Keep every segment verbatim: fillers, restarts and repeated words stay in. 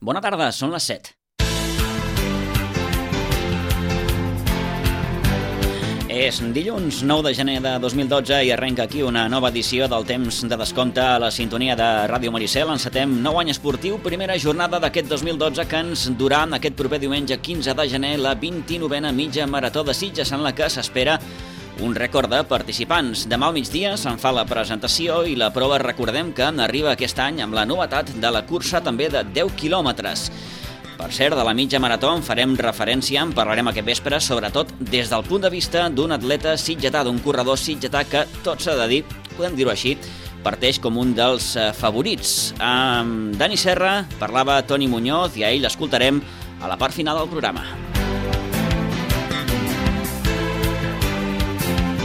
Bona tarda, són les set. És dilluns nou de gener de dos mil dotze i arrenca aquí una nova edició del Temps de Descompte a la sintonia de Ràdio Maricel. Encetem nou any esportiu, primera jornada d'aquest dos mil dotze que ens durà aquest proper diumenge quinze de gener la vint-i-novena mitja marató de Sitges, en la que s'espera un rècord de participants. Demà al migdia se'n fa la presentació i la prova, recordem que arriba aquest any amb la novetat de la cursa també de deu quilòmetres. Per cert, de la mitja marató en farem referència, en parlarem aquest vespre, sobretot des del punt de vista d'un atleta sitgetà, d'un corredor sitgetà que, tot s'ha de dir, podem dir-ho així, parteix com un dels favorits. Amb Dani Serra parlava Toni Muñoz i a ell l'escoltarem a la part final del programa.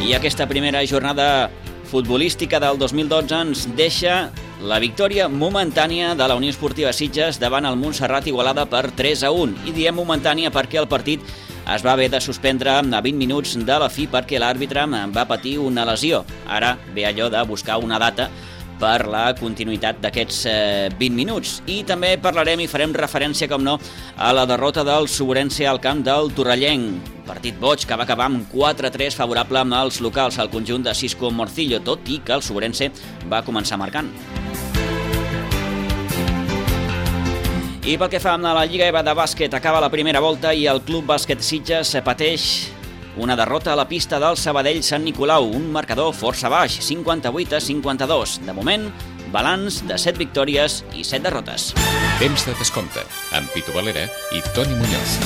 I aquesta primera jornada futbolística del dos mil dotze ens deixa la victòria momentània de la Unió Esportiva Sitges davant el Montserrat Igualada per tres a un. I diem momentània perquè el partit es va haver de suspendre a vint minuts de la fi perquè l'àrbitre va patir una lesió. Ara ve allò de buscar una data per la continuïtat d'aquests eh, vint minuts. I també parlarem i farem referència, com no, a la derrota del Sobrense al camp del Torrellenc. Partit boig que va acabar amb quatre a tres favorable als locals al conjunt de Cisco Morcillo, tot i que el Sobrense va començar marcant. I pel que fa a la Lliga E V A de bàsquet, acaba la primera volta i el Club Bàsquet Sitges pateix una derrota a la pista del Sabadell Sant Nicolau, un marcador força baix, cinquanta-vuit a cinquanta-dos. De moment, balanç de set victòries i set derrotes. Temps de descompte, amb Pitu Valera i Toni Muñoz.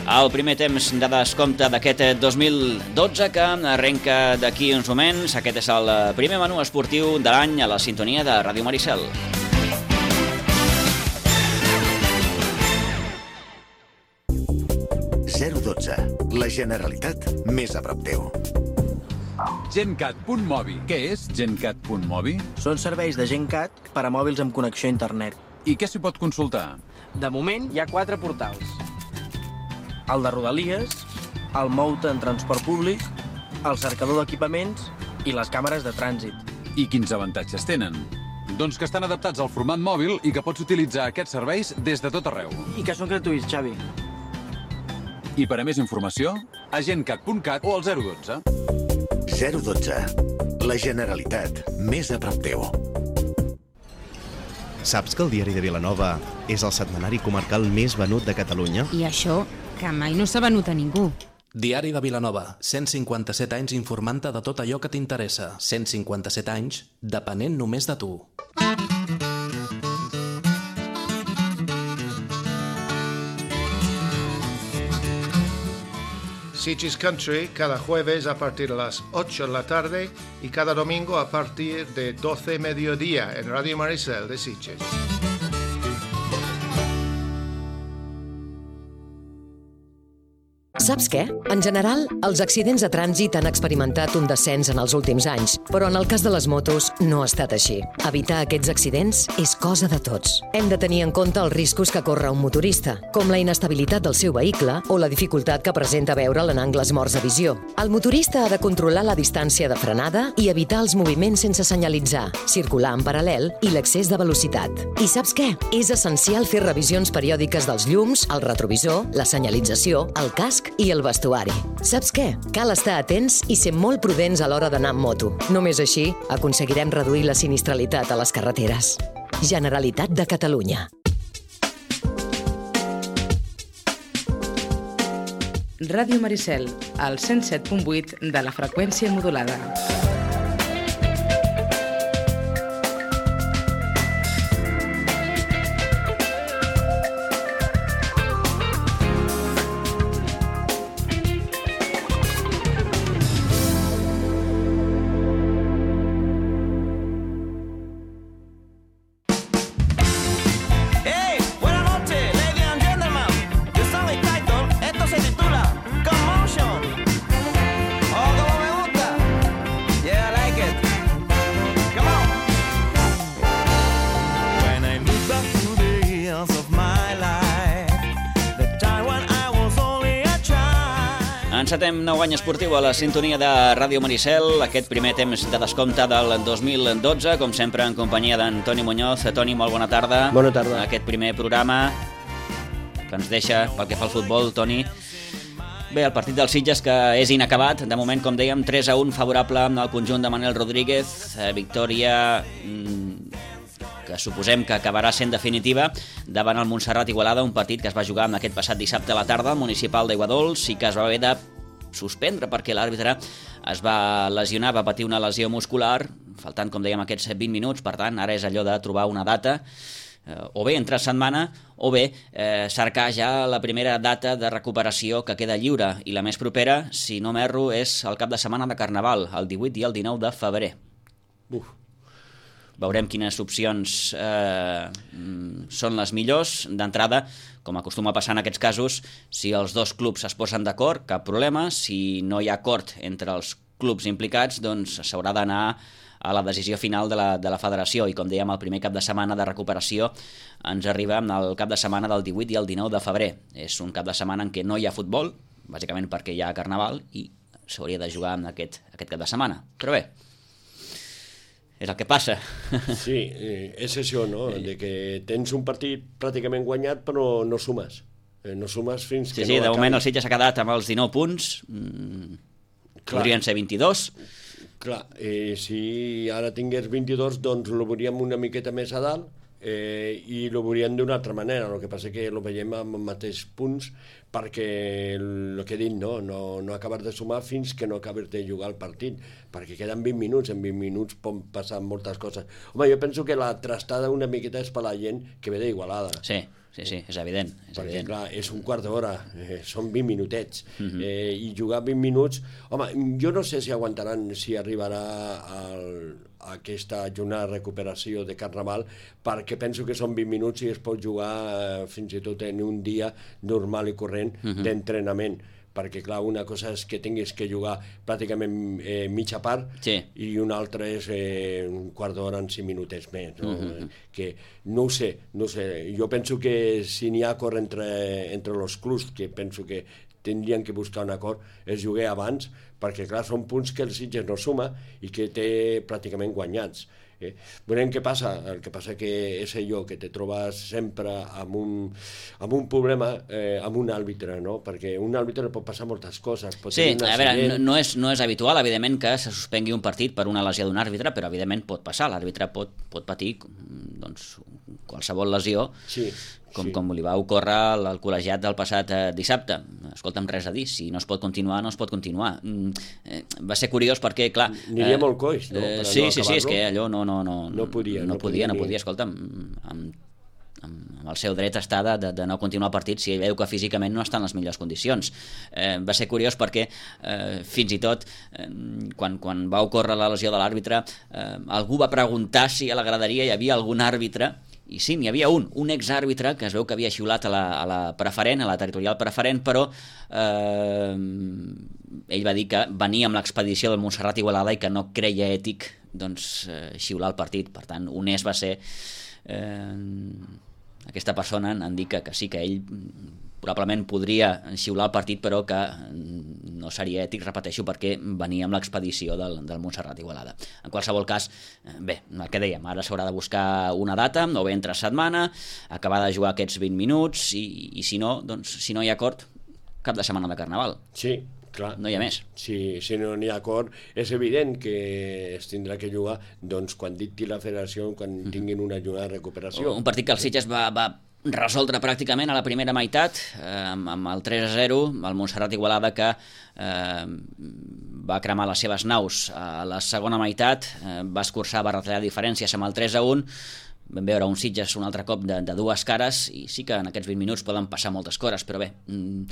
El primer temps de descompte d'aquest dos mil dotze que arrenca d'aquí uns moments. Aquest és el primer menú esportiu de l'any a la sintonia de Ràdio Maricel. zero dotze. La Generalitat més a prop teu. GenCat punt mobi. Què és GenCat punt mobi? Són serveis de GenCat per a mòbils amb connexió a internet. I què s'hi pot consultar? De moment hi ha quatre portals. El de Rodalies, el Mouta en transport públic, el cercador d'equipaments i les càmeres de trànsit. I quins avantatges tenen? Doncs que estan adaptats al format mòbil i que pots utilitzar aquests serveis des de tot arreu. I que són gratuïts, Xavi. I per a més informació, a gencat punt cat o al zero dotze. zero dotze. La Generalitat més a prop teu. Saps que el Diari de Vilanova és el setmanari comarcal més venut de Catalunya? I això, que mai no s'ha venut a ningú. Diari de Vilanova, cent cinquanta-set anys informant-te de tot allò que t'interessa. cent cinquanta-set anys, depenent només de tu. Sitges Country cada jueves a partir de las ocho de la tarde y cada domingo a partir de doce mediodía en Radio Maricel de Sitges. Saps què? En general, els accidents de trànsit han experimentat un descens en els últims anys, però en el cas de les motos no ha estat així. Evitar aquests accidents és cosa de tots. Hem de tenir en compte els riscos que corre un motorista, com la inestabilitat del seu vehicle o la dificultat que presenta veure'l en angles morts de visió. El motorista ha de controlar la distància de frenada i evitar els moviments sense senyalitzar, circular en paral·lel i l'excés de velocitat. I saps què? És essencial fer revisions periòdiques dels llums, el retrovisor, la senyalització, el casc i el vestuari. Saps què? Cal estar atents i ser molt prudents a l'hora d'anar amb moto. Només així aconseguirem reduir la sinistralitat a les carreteres. Generalitat de Catalunya. Ràdio Maricel, al cent set punt vuit de la freqüència modulada. Encetem nou any esportiu a la sintonia de Ràdio Maricel, aquest primer temps de descompte del dos mil dotze, com sempre en companyia d'en Toni Muñoz. Toni, molt bona tarda. Bona tarda. Aquest primer programa que ens deixa pel que fa al futbol, Toni. Bé, el partit dels Sitges, que és inacabat, de moment, com dèiem, tres a un favorable al conjunt de Manel Rodríguez, eh, victòria que suposem que acabarà sent definitiva davant el Montserrat Igualada, un partit que es va jugar en aquest passat dissabte a la tarda al municipal d'Aiguadols i que es va haver de suspendre perquè l'àrbitre es va lesionar, va patir una lesió muscular, faltant, com dèiem, aquests vint minuts. Per tant, ara és allò de trobar una data, eh, o bé entre setmana o bé eh, cercar ja la primera data de recuperació que queda lliure, i la més propera, si no m'erro, és el cap de setmana de Carnaval, el divuit i el dinou de febrer. Uf. Veurem quines opcions eh, són les millors. D'entrada, com acostuma a passar en aquests casos, si els dos clubs es posen d'acord, cap problema. Si no hi ha acord entre els clubs implicats, doncs s'haurà d'anar a la decisió final de la, de la federació. I com dèiem, el primer cap de setmana de recuperació ens arriba el cap de setmana del divuit i el dinou de febrer. És un cap de setmana en què no hi ha futbol, bàsicament perquè hi ha Carnaval, i s'hauria de jugar en aquest, aquest cap de setmana. Però bé, és el que passa. Sí, és això, no? De que tens un partit pràcticament guanyat però no sumes. No sumes fins que sí, sí, no de acabi. moment el Sitges s'ha quedat amb els dinou punts, mm, podrien ser vint-i-dos. Clar, eh, si ara tingués vint-i-dos, doncs el veuríem una miqueta més a dalt, eh, i el veuríem d'una altra manera. El que passa que el veiem amb els mateixos punts perquè el que he dit, no, no, no acabes de sumar fins que no acabes de jugar el partit, perquè queden vint minuts, en vint minuts pot passar moltes coses. Home, jo penso que la trastada una miqueta és per la gent que ve d'Igualada. Sí, sí, sí, és evident. És perquè, evident. clar, és un quart d'hora, eh, són vint minutets, Mhm. eh, i jugar vint minuts... Home, jo no sé si aguantaran, si arribarà al, a aquesta jornada de recuperació de Carnaval, perquè penso que són vint minuts i es pot jugar eh, fins i tot en un dia normal i corrent Mhm. d'entrenament, perquè clar, una cosa és que tinguis que jugar pràcticament eh, mitja part, sí, i una altra és eh, un quart d'hora en cinc minutets més, no? Mhm. Que no ho sé, no ho sé. Jo penso que si n'hi ha acord entre, entre els clubs, que penso que tindrien que buscar un acord, és jugar abans, perquè clar, són punts que el Sitges no suma i que té pràcticament guanyats. Eh? Veurem què passa. El que passa que és allò que te trobes sempre amb un, amb un problema, eh, amb un àrbitre, no? Perquè un àrbitre pot passar moltes coses. Pot Sí, tenir un a veure, accident. no, no, és, no és habitual, evidentment, que se suspengui un partit per una lesió d'un àrbitre, però evidentment pot passar. L'àrbitre pot, pot patir doncs, qualsevol lesió, sí, com, sí. com li va ocórrer al, al col·legiat del passat eh, dissabte. Escolta'm, res a dir, si no es pot continuar, no es pot continuar. Mm, eh, va ser curiós perquè, clar... Aniria eh, molt coix, no? Eh, Per sí, no sí, sí, és acabar-lo. que allò no, no, no, No podia, no, no podia, podia no ni- podia, escolta'm, amb, amb el seu dret està de, de, de no continuar el partit si veu que físicament no està en les millors condicions. Eh, va ser curiós perquè eh, fins i tot eh, quan, quan va ocórrer la lesió de l'àrbitre, eh, algú va preguntar si a la graderia hi havia algun àrbitre, i sí, n'hi havia un, un exàrbitre que es veu que havia xiulat a la, a la preferent, a la territorial preferent, però eh, ell va dir que venia amb l'expedició del Montserrat Igualada i que no creia ètic doncs, eh, xiular el partit. Per tant, honest va ser eh, aquesta persona en dir que, que sí, que ell probablement podria xiular el partit, però que no seria ètic, repeteixo, perquè venia amb l'expedició del, del Montserrat Igualada. En qualsevol cas, bé, el que dèiem, ara s'haurà de buscar una data, o bé entre setmana, acabar de jugar aquests vint minuts, i, i si no, doncs, si no hi ha acord, cap de setmana de Carnaval. Sí, clar. No hi ha més. Si, si no n'hi ha acord, és evident que es tindrà que jugar doncs, quan dicti la federació, quan tinguin una jornada de recuperació. Un partit que el Sitges va, va resoldre pràcticament a la primera meitat, eh, amb, amb el tres a zero, el Montserrat Igualada que eh, va cremar les seves naus a la segona meitat, eh, va escurçar, va retallar diferències amb el tres a un. Vam veure un Sitges un altre cop de, de dues cares, i sí que en aquests vint minuts poden passar moltes coses, però bé, mm,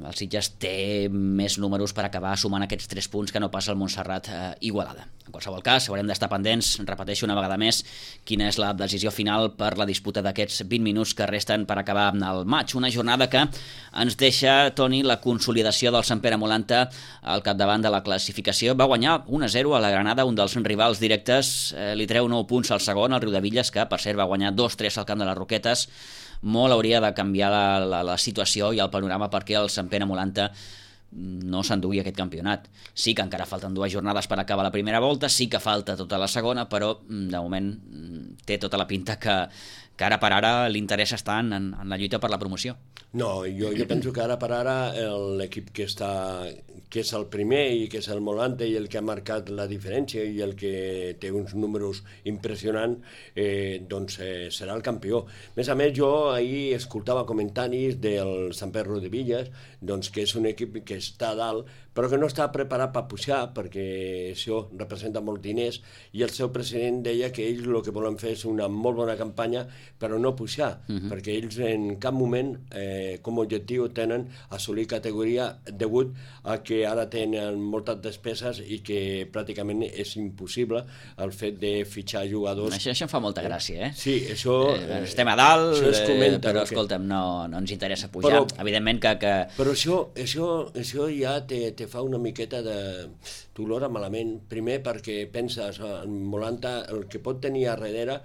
el Sitges té més números per acabar sumant aquests tres punts que no passa el Montserrat eh, Igualada. En qualsevol cas, haurem d'estar pendents, repeteixo una vegada més, quina és la decisió final per la disputa d'aquests vint minuts que resten per acabar el maig. Una jornada que ens deixa, Toni, la consolidació del Sant Pere Molanta al capdavant de la classificació. Va guanyar un a zero a la Granada, un dels rivals directes, eh, li treu nou punts al segon, el Riudevilles, que per cert va guanyar dos tres al camp de les Roquetes. Molt hauria de canviar la, la, la situació i el panorama perquè el Sant Pere Molanta no s'enduia aquest campionat. Sí que encara falten dues jornades per acabar la primera volta, sí que falta tota la segona, però de moment té tota la pinta que, que ara per ara l'interès està en, en la lluita per la promoció. No, jo, jo penso que ara per ara l'equip que està, que és el primer i que és el Molante i el que ha marcat la diferència i el que té uns números impressionants, eh, doncs eh, serà el campió. A més a més, jo ahir escoltava comentaris del Sant Pedro de Villas, doncs que és un equip que està a dalt, però que no està preparat per pujar, perquè això representa molts diners, i el seu president deia que ells el que volen fer és una molt bona campanya, però no pujar, uh-huh. perquè ells en cap moment eh, com a objectiu tenen assolir categoria degut a que ara tenen moltes despeses i que pràcticament és impossible el fet de fitxar jugadors. Això, això em fa molta gràcia, eh? Sí, això... Eh, estem a dalt, es comenta, però que... escolta'm, no, no ens interessa pujar. Però, evidentment que... que... Però això, això, això ja te, te fa una miqueta de dolor malament. Primer perquè penses, en Molanta, el que pot tenir a darrere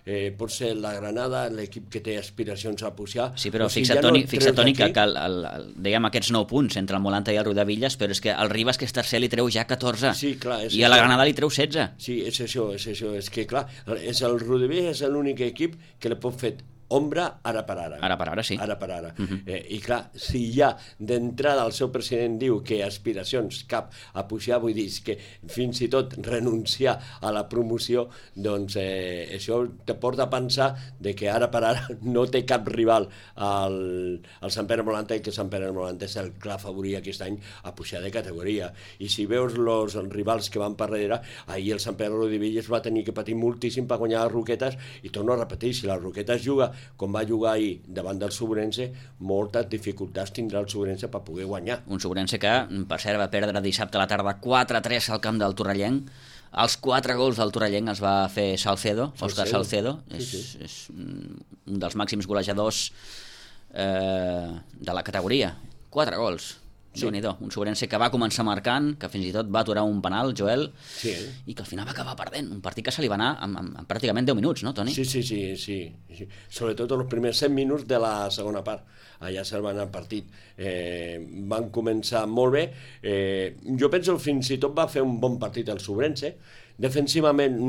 eh, pot ser la Granada, l'equip que té aspiracions a pujar. Sí, però si fixa't, ja Toni, no fixa't, Toni, que, que el, el, el, diguem, aquests nou punts entre el Molanta i el Riudevilles, però és que el Ribas, que és tercer, li treu ja catorze. Sí, clar, i a la Granada li treu setze. Sí, és això, és això. És que, clar, és el Riudevilles és l'únic equip que li pot fer ombra ara per ara. Ara per ara, sí. Ara per ara. Uh-huh. eh, I clar, si ja d'entrada el seu president diu que aspiracions cap a pujar, vull dir que fins i tot renunciar a la promoció, doncs eh, això te porta a pensar de que ara per ara no té cap rival al, al Sant Pere Molanta, i que Sant Pere Molanta és el clar favorit aquest any a pujar de categoria. I si veus els rivals que van per darrere, ahir el Sant Pere de Villas va tenir que patir moltíssim per guanyar les Roquetes, i torno a repetir, si les Roquetes juga com va jugar ahir davant del Sobrense, moltes dificultats tindrà el Sobrense per poder guanyar. Un Sobrense que, per cert, va perdre dissabte a la tarda quatre a tres al camp del Torrellenc. Els quatre gols del Torrellenc els va fer Salcedo, Òscar Salcedo. Sí, sí. És, és un dels màxims golejadors eh, de la categoria. Quatre gols. Sí. Déu-n'hi-do, un Sobrense que va començar marcant, que fins i tot va aturar un penal, Joel, sí. i que al final va acabar perdent. Un partit que se li va anar en, en, en pràcticament deu minuts, no, Toni? Sí, sí, sí, sí, sí. Sobretot els primers set minuts de la segona part. Allà se'l va anar el partit. Eh, van començar molt bé. Eh, jo penso que fins i tot va fer un bon partit el Sobrense. Defensivament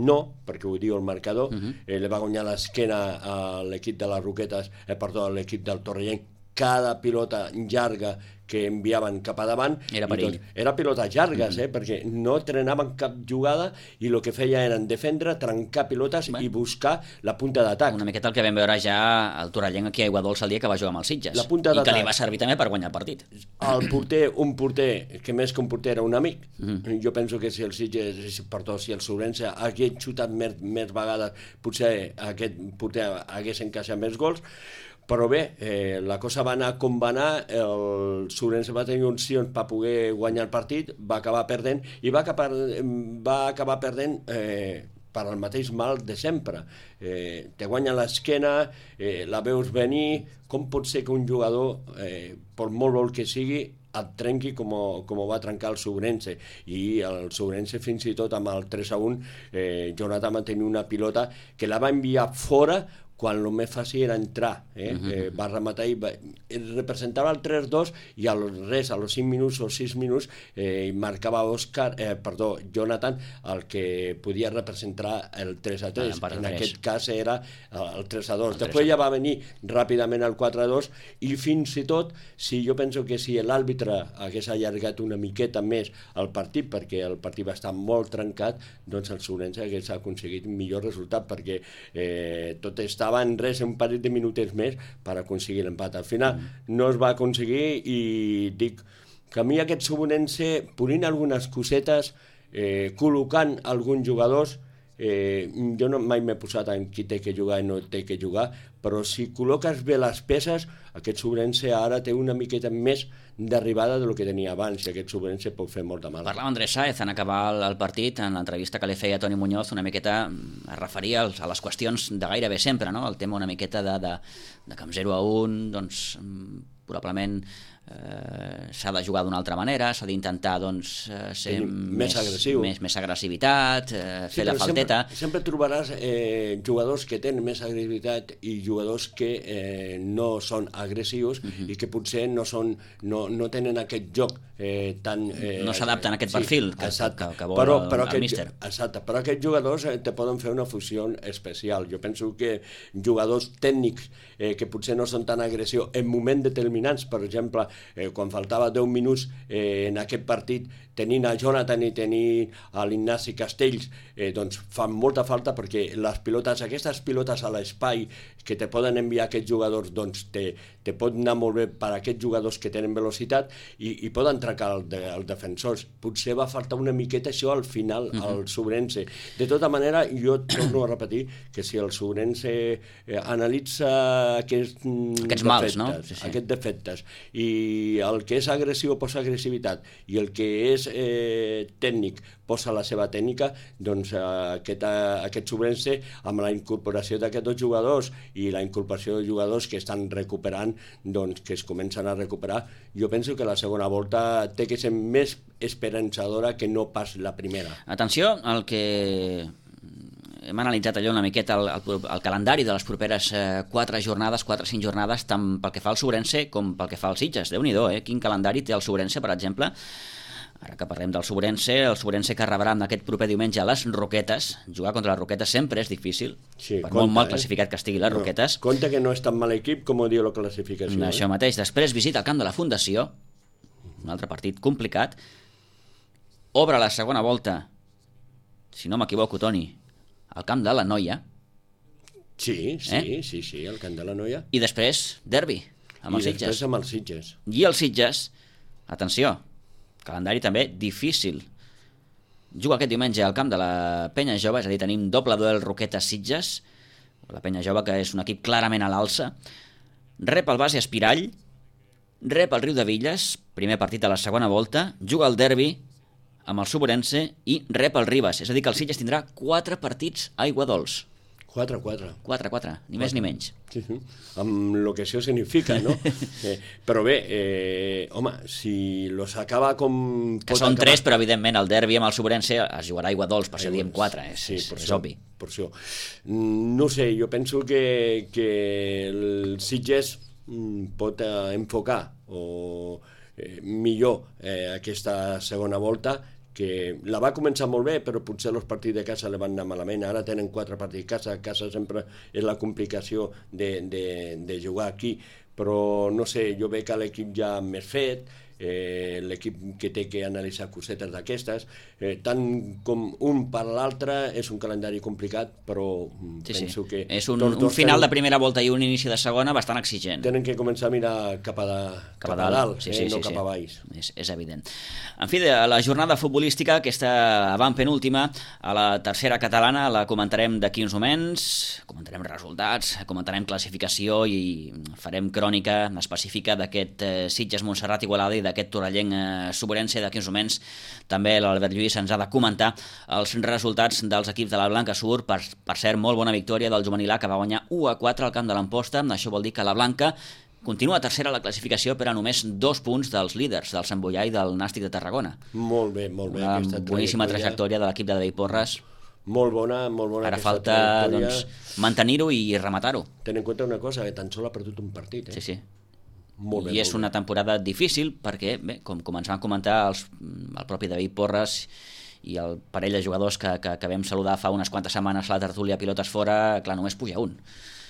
no, perquè ho diu el marcador. Uh-huh. eh, li va guanyar l'esquena a l'equip de les Roquetes, eh, perdó, a l'equip del Torrellenc. Cada pilota llarga que enviaven cap a davant era perill. Doncs, era pilotes llargues, mm-hmm. eh, perquè no trenaven cap jugada i el que feia eren defendre, trencar pilotes bueno. i buscar la punta d'atac. Una miqueta el que vam veure ja al Torrellenc aquí a Aigua Dolça el dia que va jugar amb els Sitges, la punta i que li va servir també per guanyar el partit. El porter, un porter que més que un porter era un amic. Mm-hmm. Jo penso que si el Sitges, perdó, si el Sobrense hagués xutat més, més vegades, potser aquest porter hagués encaixat més gols. Però bé, eh, la cosa va anar com va anar, el Sobrense va tenir opcions per poder guanyar el partit, va acabar perdent, i va acabar, va acabar perdent eh, per al mateix mal de sempre. Eh, te guanya l'esquena, eh, la veus venir, com pot ser que un jugador, eh, per molt vol que sigui, et trenqui com, com ho va trencar el Sobrense, i el Sobrense fins i tot amb el tres a un, eh, Jonathan va tenir una pilota que la va enviar fora quan el més fàcil era entrar, eh? Uh-huh. eh, va rematar i va, representava el tres dos, i al res, a los cinc minuts o sis minuts, eh, marcava Òscar, eh, perdó, Jonathan, el que podia representar el tres a tres. Ah, en aquest cas era el tres a dos. Després ja va venir ràpidament el quatre a dos, i fins i tot, si jo penso que si l'àrbitre hagués allargat una miqueta més el partit, perquè el partit va estar molt trencat, doncs el Sobrense hagués aconseguit un millor resultat, perquè eh, tot està estava en res, un parell de minutets més per aconseguir l'empat. Al final mm. no es va aconseguir, i dic que a mi aquest Sobrense, ponint algunes cosetes, eh, col·locant alguns jugadors, eh, jo no, mai m'he posat en qui té que jugar i no té que jugar, però si col·loques bé les peces, aquest Sobrense ara té una miqueta més d'arribada del que tenia abans, i aquest Sobrense pot fer molt de mal. Parlava Andrés Sáez en acabar el, el partit, en l'entrevista que li feia Toni Muñoz, una miqueta es referia als, a les qüestions de gairebé sempre, no? El tema una miqueta de, de, de que amb zero a un, doncs, probablement eh, s'ha de jugar d'una altra manera, s'ha d'intentar doncs, ser més, més agressiu, més, més agressivitat, eh, sí, fer la falteta. Sempre, sempre trobaràs eh, jugadors que tenen més agressivitat i jugadors que eh, no són agressius uh -huh. i que potser no, són, no, no tenen aquest joc eh, tan... Eh, no s'adapten a aquest perfil sí, que, exacte, que, que vol però, el, però el aquest, míster. Exacte, però aquests jugadors eh, te poden fer una fusió especial. Jo penso que jugadors tècnics eh, que potser no són tan agressius en moments determinants, per exemple, eh, quan faltava deu minuts eh, en aquest partit, tenint a Jonathan i tenint a l'Ignasi Castells, eh, doncs fan molta falta perquè les pilotes, aquestes pilotes a l'espai que te poden enviar aquests jugadors, doncs te, te pot anar molt bé per a aquests jugadors que tenen velocitat i, i poden trencar els de, el defensors. Potser va faltar una miqueta això al final, uh -huh. al Subrense. De tota manera, jo torno a repetir que si el Subrense eh, analitza aquests, aquests defectes, mals, no? Sí, sí. aquests defectes, i el que és agressiu posa agressivitat i el que és eh, tècnic posa la seva tècnica, doncs eh, aquest, eh, aquest Subrense, amb la incorporació d'aquests dos jugadors i la incorporació de jugadors que estan recuperant, doncs que es comencen a recuperar, jo penso que la segona volta té que ser més esperançadora que no pas la primera. Atenció al que hem analitzat allò una miqueta el, el, el calendari de les properes eh, quatre jornades, quatre o cinc jornades, tant pel que fa al Subrense com pel que fa al Sitges. Déu-n'hi-do, eh? Quin calendari té el Subrense, per exemple. Ara que parlem del Subrense, el Subrense que rebrà aquest proper diumenge a les Roquetes. Jugar contra les Roquetes sempre és difícil, sí, per compte, molt mal eh? classificat que estigui les no, Roquetes. Compte que no és tan mal equip com ho diu la classificació. Això eh? mateix. Després visita el camp de la Fundació, un altre partit complicat. Obre la segona volta, si no m'equivoco, Toni, al camp de la Noia. Sí, sí, eh? sí, sí, al camp de la Noia. I després, derbi, amb els I Sitges. després amb els Sitges. I els Sitges, atenció, calendari també difícil. Juga aquest diumenge al camp de la Penya Jove, és a dir, tenim doble duel Roquetes-Sitges, la Penya Jove, que és un equip clarament a l'alça. Rep el Base Espirall, rep el Riu de Villes, primer partit de la segona volta, juga el derbi amb el Subrense i rep el Ribes, és a dir, que el Sitges tindrà quatre partits a Aiguadols. quatre quatre. quatre quatre, ni més ni menys. Sí, sí. Amb el que això significa, no? eh, però bé, eh, home, si los acaba com... Que són acabar... tres, però evidentment el derbi amb el Subrense es jugarà a Aiguadols, per això diem quatre, és, sí, és, per és això, obvi. Per això. No sé, jo penso que, que el Sitges pot eh, enfocar o eh, millor eh, aquesta segona volta, que la va començar molt bé, però potser els partits de casa li van anar malament. Ara tenen quatre partits a casa, a casa sempre és la complicació de, de, de jugar aquí, però no sé, jo veig que l'equip ja més fet, eh, l'equip que té que analitzar cosetes d'aquestes, eh, tant com un per l'altre és un calendari complicat, però sí, penso sí. que... És un, un final tenen, de primera volta i un inici de segona bastant exigent. Tenen que començar a mirar cap a, de, cap cap a dalt, dalt sí, eh, sí, no sí, cap sí. a baix. És, és evident. En fi, de la jornada futbolística, aquesta avantpenúltima, a la tercera catalana, la comentarem d'aquí uns moments, comentarem resultats, comentarem classificació i farem crònica específica d'aquest eh, Sitges-Montserrat Igualada i d'aquest Torrellenc eh, Subrense. D'aquí uns moments també l'Albert Lluís ens ha de comentar els resultats dels equips de la Blanca Sur. Per, per cert, molt bona victòria del Juvenil A, que va guanyar u a quatre al camp de l'Amposta. Això vol dir que la Blanca continua tercera a la classificació, però a només dos punts dels líders, del Sant Boià i del Nàstic de Tarragona. Molt bé, molt bé. Una boníssima trajectòria de l'equip de David Porres. Molt bona, molt bona. Ara falta doncs, mantenir-ho i rematar-ho. Ten en compte una cosa, que tan sol ha perdut un partit. Eh? Sí, sí. Molt bé, I és una temporada difícil perquè, bé, com, com ens van comentar els, el propi David Porres i el parell de jugadors que, que, que vam saludar fa unes quantes setmanes a la tertúlia Pilotes Fora, clar, només puja un.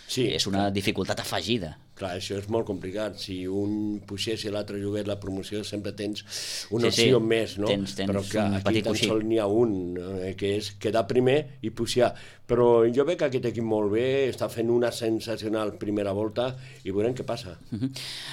Sí, és una clar. dificultat afegida. Clar, això és molt complicat. Si un pugés i l'altre jugués la promoció, sempre tens una sí, opció sí. més, no? Tens, tens però clar, un aquí petit tan coixí. sol n'hi ha un, eh, que és quedar primer i pujar. Però jo veig que aquest equip molt bé, està fent una sensacional primera volta i veurem què passa. Uh-huh.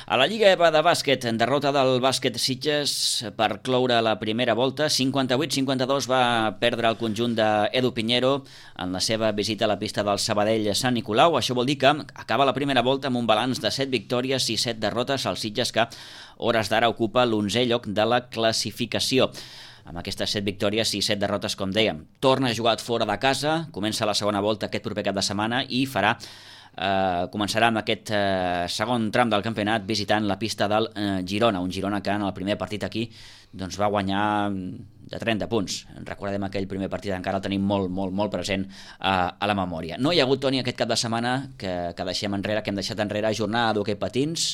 A la Lliga EVA de bàsquet, derrota del bàsquet Sitges per cloure la primera volta. cinquanta-vuit cinquanta-dos va perdre el conjunt d'Edu Pinheiro en la seva visita a la pista del Sabadell Sant Nicolau. Això vol dir que acaba la primera volta amb un balanç de set victòries i set derrotes al Sitges, que a hores d'ara ocupa l'onzè lloc de la classificació. Amb aquestes set victòries i set derrotes, com dèiem, torna a jugar fora de casa, comença la segona volta aquest proper cap de setmana i farà eh, començarà amb aquest eh, segon tram del campionat visitant la pista del eh, Girona, un Girona que en el primer partit aquí doncs, va guanyar de trenta punts. Recordem aquell primer partit, encara el tenim molt, molt, molt present a, a la memòria. No hi ha hagut, Toni, aquest cap de setmana que, que deixem enrere, que hem deixat enrere, jornada d'hoquei patins.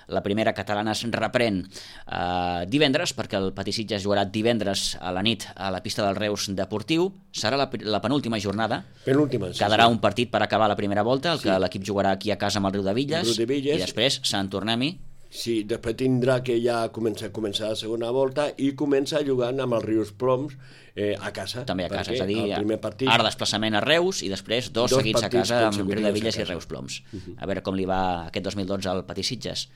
La primera catalana es reprèn eh, divendres, perquè el Patí-Sitges jugarà divendres a la nit a la pista del Reus Deportiu. Serà la, la penúltima jornada. Penúltima, sí, Quedarà sí. un partit per acabar la primera volta, el sí. que l'equip jugarà aquí a casa amb el Riu de Villes, Riu de Villes. I després Sant Tornem-hi. Sí, després tindrà que ja començar, començar la segona volta i comença jugant amb els Rius Ploms eh, a casa. També a casa, és a dir, partit... ara desplaçament a Reus i després dos, dos seguits a casa amb Riu de Villes i Reus Ploms. Uh -huh. A veure com li va aquest dos mil dotze al Patí-Sitges.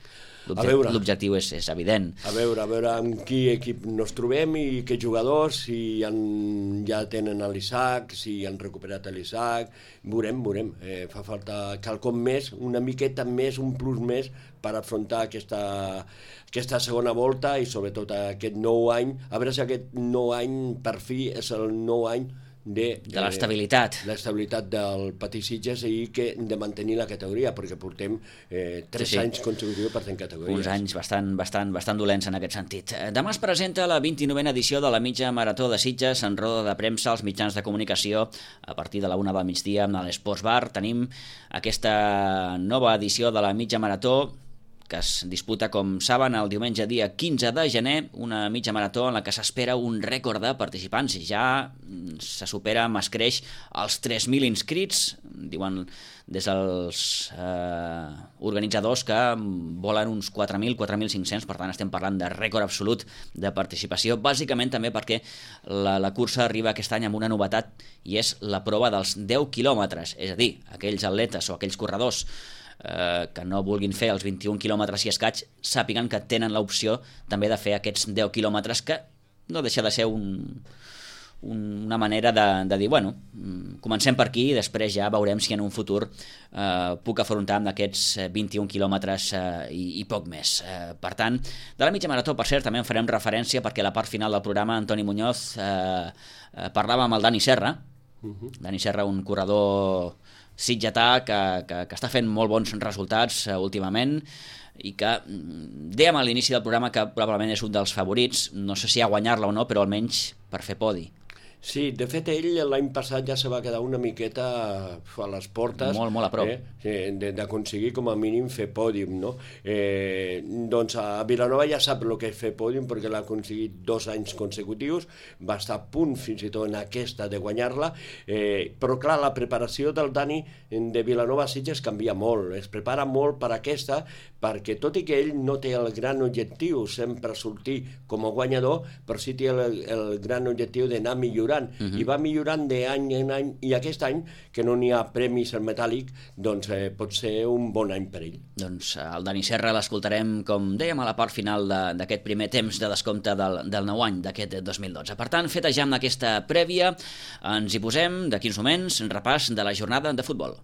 L'objectiu és, és evident. A veure, a veure amb qui equip nos trobem i què jugadors, si han, ja tenen l'Isaac, si han recuperat l'Isaac, veurem, veurem. Eh, fa falta quelcom més, una miqueta més, un plus més per afrontar aquesta, aquesta segona volta i sobretot aquest nou any. A veure si aquest nou any per fi és el nou any de, de l'estabilitat eh, l'estabilitat del Patí-Sitges i que de mantenir la categoria, perquè portem eh, tres sí, sí. anys consecutius per tenir categories. Uns anys bastant, bastant, bastant dolents en aquest sentit. Demà es presenta la vint-i-novena edició de la mitja marató de Sitges en roda de premsa als mitjans de comunicació a partir de la una del migdia a l'Esports Bar. Tenim aquesta nova edició de la mitja marató que es disputa, com saben, el diumenge dia quinze de gener, una mitja marató en la que s'espera un rècord de participants. Ja se supera, m'escreix, els tres mil inscrits, diuen des dels eh, organitzadors que volen uns quatre mil, quatre mil cinc-cents, per tant estem parlant de rècord absolut de participació, bàsicament també perquè la, la cursa arriba aquest any amb una novetat i és la prova dels deu quilòmetres, és a dir, aquells atletes o aquells corredors Eh, que no vulguin fer els vint-i-un quilòmetres i escaig, sàpiguen que tenen l'opció també de fer aquests deu quilòmetres, que no deixa de ser un, una manera de, de dir, bueno, comencem per aquí i després ja veurem si en un futur eh, puc afrontar amb aquests vint-i-un quilòmetres eh, i, i poc més. Eh, per tant, de la mitja marató, per cert, també en farem referència perquè a la part final del programa Antoni Muñoz eh, eh, parlava amb el Dani Serra. Uh-huh. Dani Serra, un corredor sitgetà que, que, que està fent molt bons resultats uh, últimament i que dèiem a l'inici del programa que probablement és un dels favorits, no sé si a guanyar-la o no, però almenys per fer podi. Sí, de fet ell l'any passat ja se va quedar una miqueta a les portes, molt, molt a prop, eh, d'aconseguir com a mínim fer pòdium, no? Eh, doncs a Vilanova ja sap el que és fer pòdium perquè l'ha aconseguit dos anys consecutius, va estar a punt fins i tot en aquesta de guanyar-la, eh, però clar, la preparació del Dani de Vilanova Sitges canvia molt, es prepara molt per aquesta, perquè tot i que ell no té el gran objectiu sempre sortir com a guanyador, però sí té el, el gran objectiu d'anar millorant. Uh-huh. I va millorant d'any en any, i aquest any, que no n'hi ha premis al metàl·lic, doncs eh, pot ser un bon any per ell. Doncs el Dani Serra l'escoltarem, com dèiem, a la part final d'aquest primer temps de descompte del, del nou any, d'aquest dos mil dotze. Per tant, feta ja amb aquesta prèvia, ens hi posem, d'aquí uns moments, un repàs de la jornada de futbol.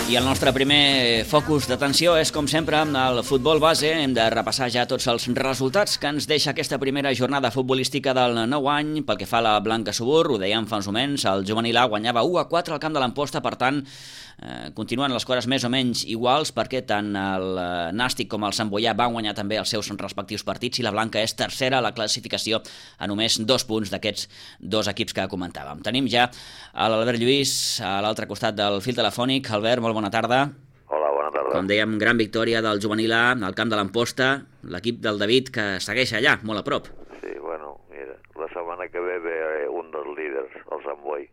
I el nostre primer focus d'atenció és, com sempre, amb el futbol base. Hem de repassar ja tots els resultats que ens deixa aquesta primera jornada futbolística del nou any. Pel que fa a la Blanca Subur, ho dèiem fa uns moments, el juvenil A guanyava u a quatre al camp de l'Amposta, per tant, eh, continuen les coses més o menys iguals, perquè tant el Nàstic com el Sant Boià van guanyar també els seus respectius partits i la Blanca és tercera a la classificació a només dos punts d'aquests dos equips que comentàvem. Tenim ja l'Albert Lluís a l'altre costat del fil telefònic. Albert, molt bona tarda. Hola, bona tarda. Com dèiem, gran victòria del juvenil A al camp de l'Amposta, l'equip del David que segueix allà, molt a prop. Sí, bueno, mira, la setmana que ve ve un dels líders, el Sant Boi.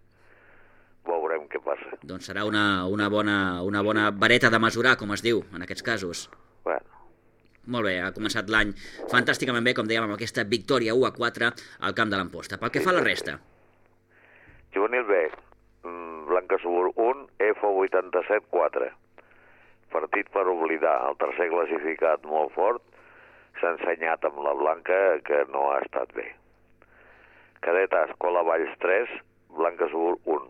Veurem què passa. Doncs serà una, una, bona, una bona vareta de mesurar, com es diu, en aquests casos. Bueno. Molt bé, ha començat l'any fantàsticament bé, com dèiem, amb aquesta victòria u a quatre al camp de l'Amposta. Pel que fa a la resta. Juvenil B, mm, Blanca Subur un, F vuitanta-set quatre. Partit per oblidar. El tercer classificat molt fort s'ha ensenyat amb la Blanca que no ha estat bé. Cadet A, Escola Valls tres, Blanca Subur un.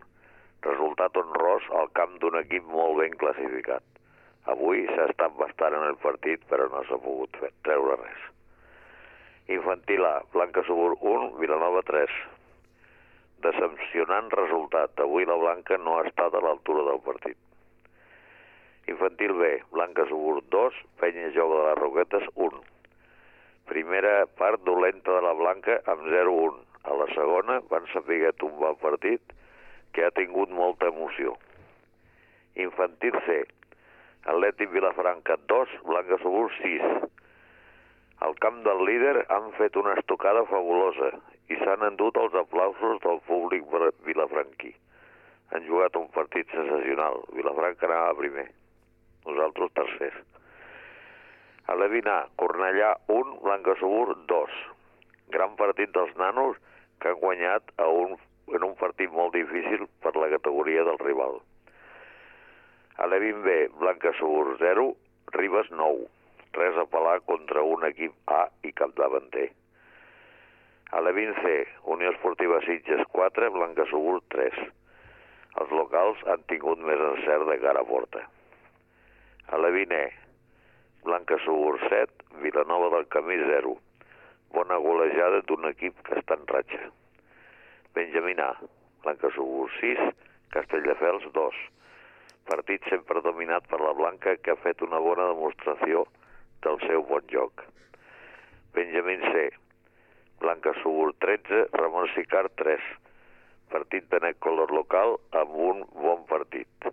Resultat honrós al camp d'un equip molt ben classificat. Avui s'ha estat bastant en el partit, però no s'ha pogut fer, treure res. Infantil A, Blanca Subur un, Vilanova tres. Decepcionant resultat. Avui la Blanca no ha estat a l'altura del partit. Infantil B, Blanca Subur dos, Penya Joc de les Roquetes un. Primera part dolenta de la Blanca amb zero un. A la segona van saber tombar el partit, que ha tingut molta emoció. Infantil C, Atlètic Vilafranca dos, Blanca Subur sis. Al camp del líder han fet una estocada fabulosa i s'han endut els aplausos del públic vilafranquí. Han jugat un partit sensacional. Vilafranca anava primer, nosaltres tercers. A l'Evina, Cornellà un, Blanca Subur dos. Gran partit dels nanos que han guanyat a un, en un partit molt difícil per la categoria del rival. A l'Evin B, Blanca Subur zero, Ribes nou. Res a pelar contra un equip A i capdavanter. A l'Evin C, Unió Esportiva Sitges quatre, Blanca Subur tres. Els locals han tingut més encert de cara a porta. A l'Evin E, Blanca Subur set, Vilanova del Camí zero. Bona golejada d'un equip que està en ratxa. Benjamín A, Blanca Subur sis, Castelldefels dos. Partit sempre dominat per la Blanca, que ha fet una bona demostració del seu bon joc. Benjamín C, Blanca Subur tretze, Ramon Sicart tres. Partit de net color local amb un bon partit.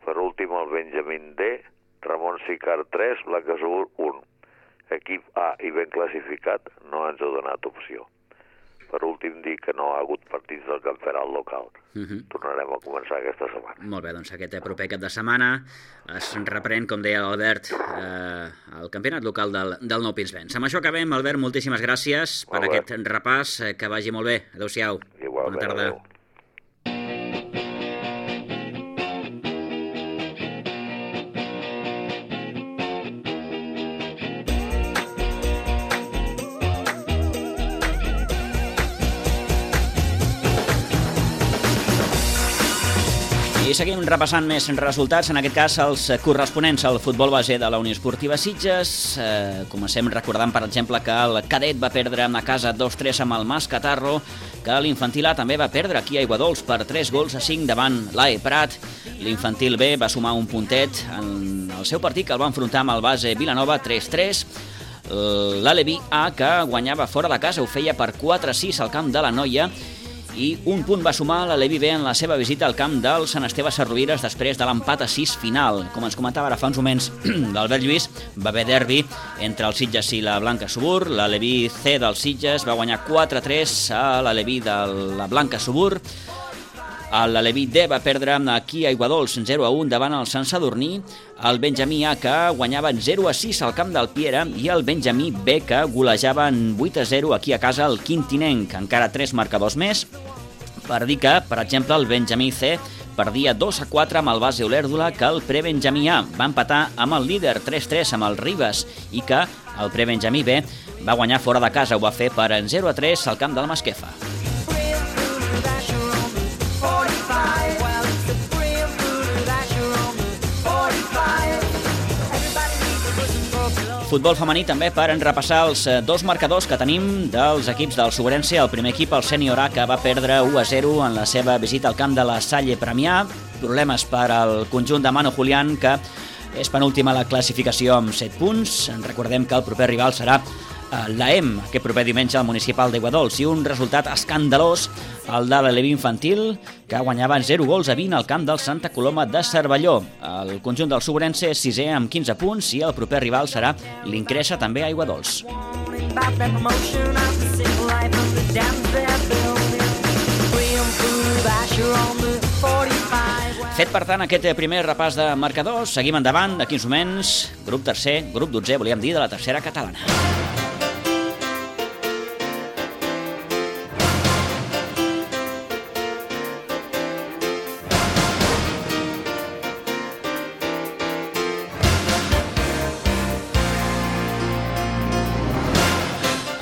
Per últim el Benjamín D, Ramon Sicart tres, Blanca Subur un. Equip A i ben classificat no ens ha donat opció. Per últim, dir que no ha hagut partits del campionat local. Uh-huh. Tornarem a començar aquesta setmana. Molt bé, doncs aquest proper cap de setmana es reprèn, com deia l'Albert, eh, el campionat local del, del Nou Pinsbens. Amb això acabem, Albert, moltíssimes gràcies per aquest repàs, que vagi molt bé. Adéu-siau. Igualment, bona tarda. Adéu. I seguim repassant més resultats, en aquest cas els corresponents al futbol base de la Unió Esportiva Sitges. Eh, comencem recordant, per exemple, que el cadet va perdre a casa dos tres amb el Mas Catarro, que l'infantil A també va perdre aquí a Aiguadols per tres gols a cinc davant l'A E Prat. L'infantil B va sumar un puntet en el seu partit, que el va enfrontar amb el base Vilanova tres tres. L'Aleví A, que guanyava fora de casa, ho feia per quatre sis al camp de la Noia, i un punt va sumar l'Aleví B en la seva visita al camp del Sant Esteve Sesrovires després de l'empat a sis final. Com ens comentava ara fa uns moments l'Albert Lluís, va haver derbi entre el Sitges i la Blanca Subur. L'Aleví C del Sitges va guanyar quatre tres a l'Aleví de la Blanca Subur. L'Aleví D va perdre aquí a Aiguadols zero a un davant el Sant Sadurní. El Benjamí A, que guanyava zero a sis al camp del Piera, i el Benjamí B, que golejava vuit a zero aquí a casa el Quintinenc. Encara tres marcadors més per dir que, per exemple, el Benjamí C perdia dos a quatre amb el base Olèrdola, que el Prebenjamí A va empatar amb el líder tres tres amb el Ribes, i que el Prebenjamí B va guanyar fora de casa, ho va fer per zero a tres al camp del Masquefa. Futbol femení també, per repassar els dos marcadors que tenim dels equips del Sobrense. El primer equip, el Sènior A, que va perdre u a zero en la seva visita al camp de la Salle Premià. Problemes per al conjunt de Manu Julián, que és penúltima a la classificació amb set punts. Recordem que el proper rival serà l'A E M, aquest proper diumenge al municipal d'Aiguadols, i un resultat escandalós, el de l'Aleví infantil, que guanyava zero gols a vint al camp del Santa Coloma de Cervelló. El conjunt del Sobrense és sisè amb quinze punts, i el proper rival serà l'Incresa, també a Aiguadols. Fet, per tant, aquest primer repàs de marcadors, seguim endavant. D'aquí uns moments, grup tercer, grup dotzè, volíem dir, de la tercera catalana.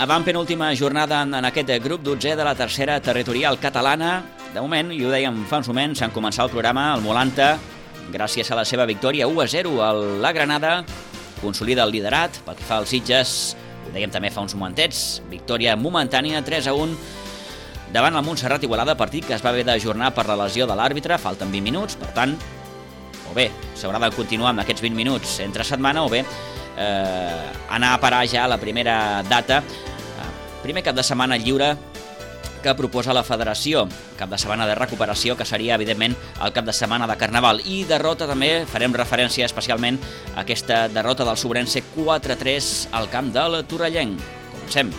Avant penúltima jornada en aquest grup dotzè de la tercera territorial catalana. De moment, i ho dèiem fa uns moments, en començar el programa, el Molanta, gràcies a la seva victòria u a zero a la Granada, consolida el liderat. Pel que fa als Sitges, ho dèiem també fa uns momentets, victòria momentània tres a un davant el Montserrat Igualada, partit que es va haver d'ajornar per la lesió de l'àrbitre. Falten vint minuts, per tant, o bé s'haurà de continuar amb aquests vint minuts entre setmana, o bé eh, anar a parar ja la primera data, eh, primer cap de setmana lliure que proposa la federació, cap de setmana de recuperació, que seria, evidentment, el cap de setmana de Carnaval. I derrota també, farem referència especialment a aquesta derrota del Sobrense quatre a tres al camp del Torrellenc. Comencem.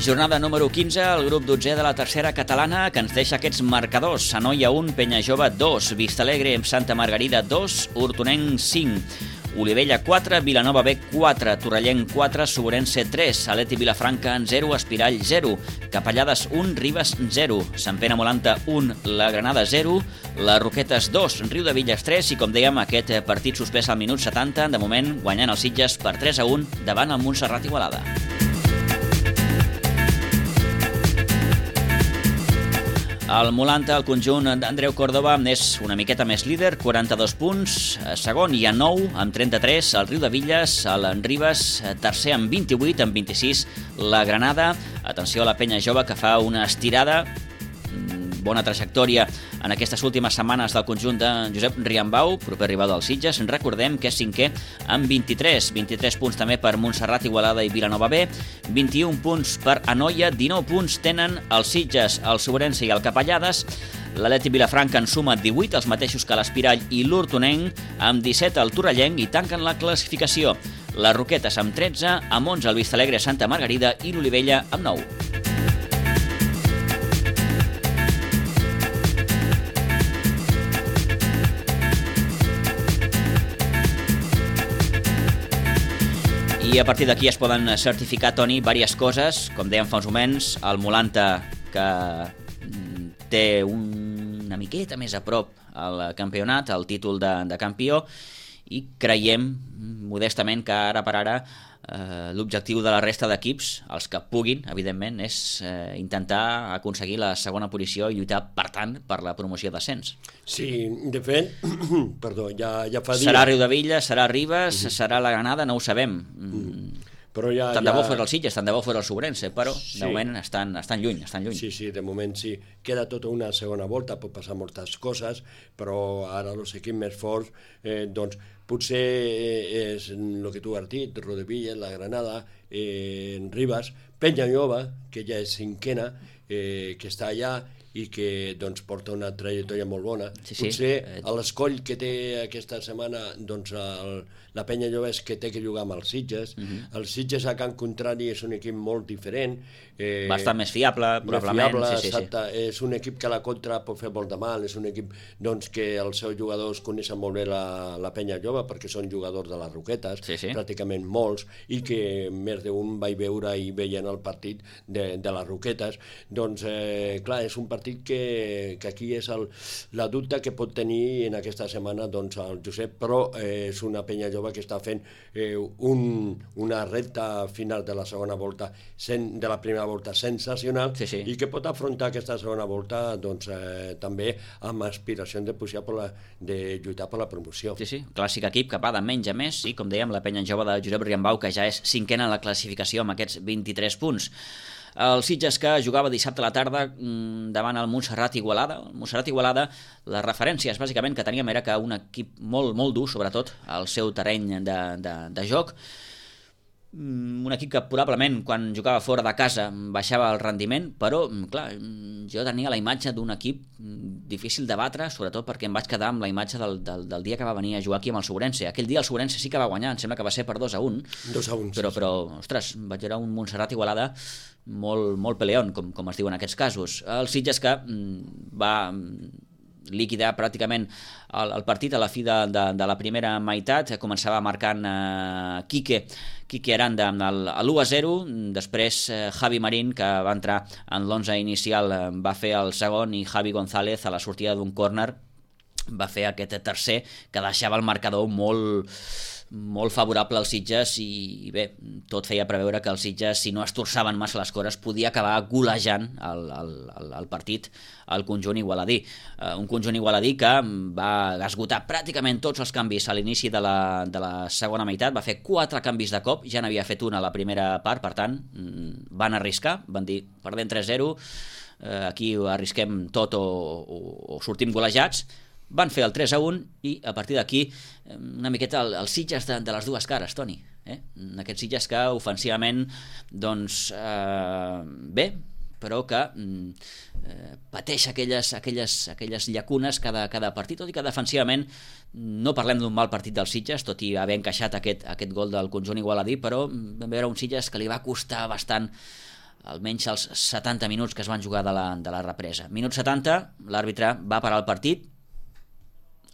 Jornada número quinze, el grup dotzè de la tercera catalana, que ens deixa aquests marcadors. Anoia un, Penyajove dos, Vistalegre, Santa Margarida dos, Hortonenc cinc, Olivella quatre, Vilanova B quatre, Torrellenc quatre, Sobrense tres, Aleti Vilafranca zero, Espirall zero, Capellades un, Ribes zero, Sant Pere Molanta un, La Granada zero, les Roquetes dos, Riu de Villes tres, i com dèiem, aquest partit suspès al minut setanta, de moment guanyant els Sitges per tres a un davant el Montserrat Igualada. El Molanta, el conjunt d'Andreu Córdoba, és una miqueta més líder, quaranta-dos punts, segon i a nou, amb trenta-tres, el Riu de Villes, el Ribes, tercer amb vint-i-vuit, amb vint-i-sis, la Granada. Atenció a la Penya Jove, que fa una estirada, bona trajectòria en aquestes últimes setmanes del conjunt de Josep Riambau, proper rival dels Sitges. Recordem que és cinquè amb vint-i-tres, vint-i-tres punts també per Montserrat Igualada i Vilanova B, vint-i-un punts per Anoia, dinou punts tenen els Sitges, el Sobrense i el Capellades. L'Aleti Vilafranca en suma divuit, els mateixos que l'Espirall i l'Hortonenc, amb disset el Torrellenc, i tanquen la classificació les Roquetes amb tretze, amb onze el Vistalegre, Santa Margarida i l'Olivella amb nou. I a partir d'aquí es poden certificar, Toni, diverses coses. Com dèiem fa uns moments, el Molanta, que té una miqueta més a prop al campionat, el títol de, de campió, i creiem modestament que ara per ara eh, l'objectiu de la resta d'equips, els que puguin, evidentment, és eh, intentar aconseguir la segona posició i lluitar, per tant, per la promoció d'ascens. Sí, de fet, perdó, ja, ja fa dia... Serà Riu de Villes, serà Ribes, uh-huh. serà la Granada, no ho sabem. Uh-huh. Però ja, tant de bo ja... fos el Sitges, tant de bo fos el Sobrense, però sí. De moment estan, estan lluny, estan lluny. Sí, sí, de moment sí. Queda tota una segona volta, pot passar moltes coses, però ara els equips més forts, eh, doncs, potser és el que tu has dit, Rodevilla, la Granada, eh, Ribes, Penyajove, que ja és cinquena, eh, que està allà, i que doncs, porta una trajectòria molt bona. Sí, sí. Potser l'escoll que té aquesta setmana doncs, el, la Penya Jove és que té que jugar amb els Sitges. Uh-huh. Els Sitges a Can Contrari és un equip molt diferent. Eh, Bastant més fiable, probablement. Més fiable, sí, sí, sí. És un equip que a la contra pot fer molt de mal, és un equip doncs, que els seus jugadors coneixen molt bé la, la Penya Jove perquè són jugadors de les Roquetes, sí, sí. pràcticament molts, i que més d'un vaig veure i veient el partit de, de les Roquetes. Doncs, eh, clar, és un partit Que, que aquí és el, la dubte que pot tenir en aquesta setmana doncs, el Josep, però eh, és una Penya Jove que està fent eh, un, una recta final de la segona volta, sen, de la primera volta sensacional, sí, sí. i que pot afrontar aquesta segona volta doncs, eh, també amb aspiració de, pujar per la, de lluitar per la promoció. Sí, sí, clàssic equip que va de menys a més, i com dèiem, la Penya Jove de Josep Riambau, que ja és cinquena en la classificació amb aquests vint-i-tres punts. El Sitges, que jugava dissabte a la tarda davant el Montserrat Igualada. El Montserrat Igualada, les referències bàsicament que teníem era que un equip molt, molt dur, sobretot al seu terreny de, de, de joc. Un equip que probablement quan jugava fora de casa baixava el rendiment, però clar, jo tenia la imatge d'un equip difícil de batre, sobretot perquè em vaig quedar amb la imatge del, del, del dia que va venir a jugar aquí amb el Sobrense. Aquell dia el Sobrense sí que va guanyar, em sembla que va ser per dos a un, dos a un però, sí, però ostres, vaig veure un Montserrat Igualada molt, molt peleón, com, com es diu en aquests casos. El Sitges que va liquidar pràcticament el, el partit a la fi de, de, de la primera meitat. Començava marcant eh, Quique, Quique Aranda a l'u a zero, després eh, Javi Marín, que va entrar en l'onze inicial, eh, va fer el segon, i Javi González, a la sortida d'un córner, va fer aquest tercer, que deixava el marcador molt, molt favorable als Sitges, i bé, tot feia preveure que els Sitges, si no es torçaven massa les cores, podia acabar golejant el, el, el, el partit al conjunt igualadí. Uh, un conjunt igualadí que va esgotar pràcticament tots els canvis a l'inici de, la, de la segona meitat, va fer quatre canvis de cop, ja n'havia fet una a la primera part, per tant, van arriscar, van dir, perdem tres zero, uh, aquí arrisquem tot o, o, o sortim golejats. Van fer el tres a un, i a partir d'aquí una miqueta el, els Sitges de, de les dues cares, Toni. Eh? Aquests Sitges que ofensivament, doncs, eh, bé, però que eh, pateix aquelles, aquelles, aquelles llacunes cada, cada partit, tot i que defensivament no parlem d'un mal partit dels Sitges, tot i haver encaixat aquest, aquest gol del conjunt igualadí, però vam veure un Sitges que li va costar bastant, almenys els setanta minuts que es van jugar de la, de la represa. Minut setanta, l'àrbitre va parar el partit,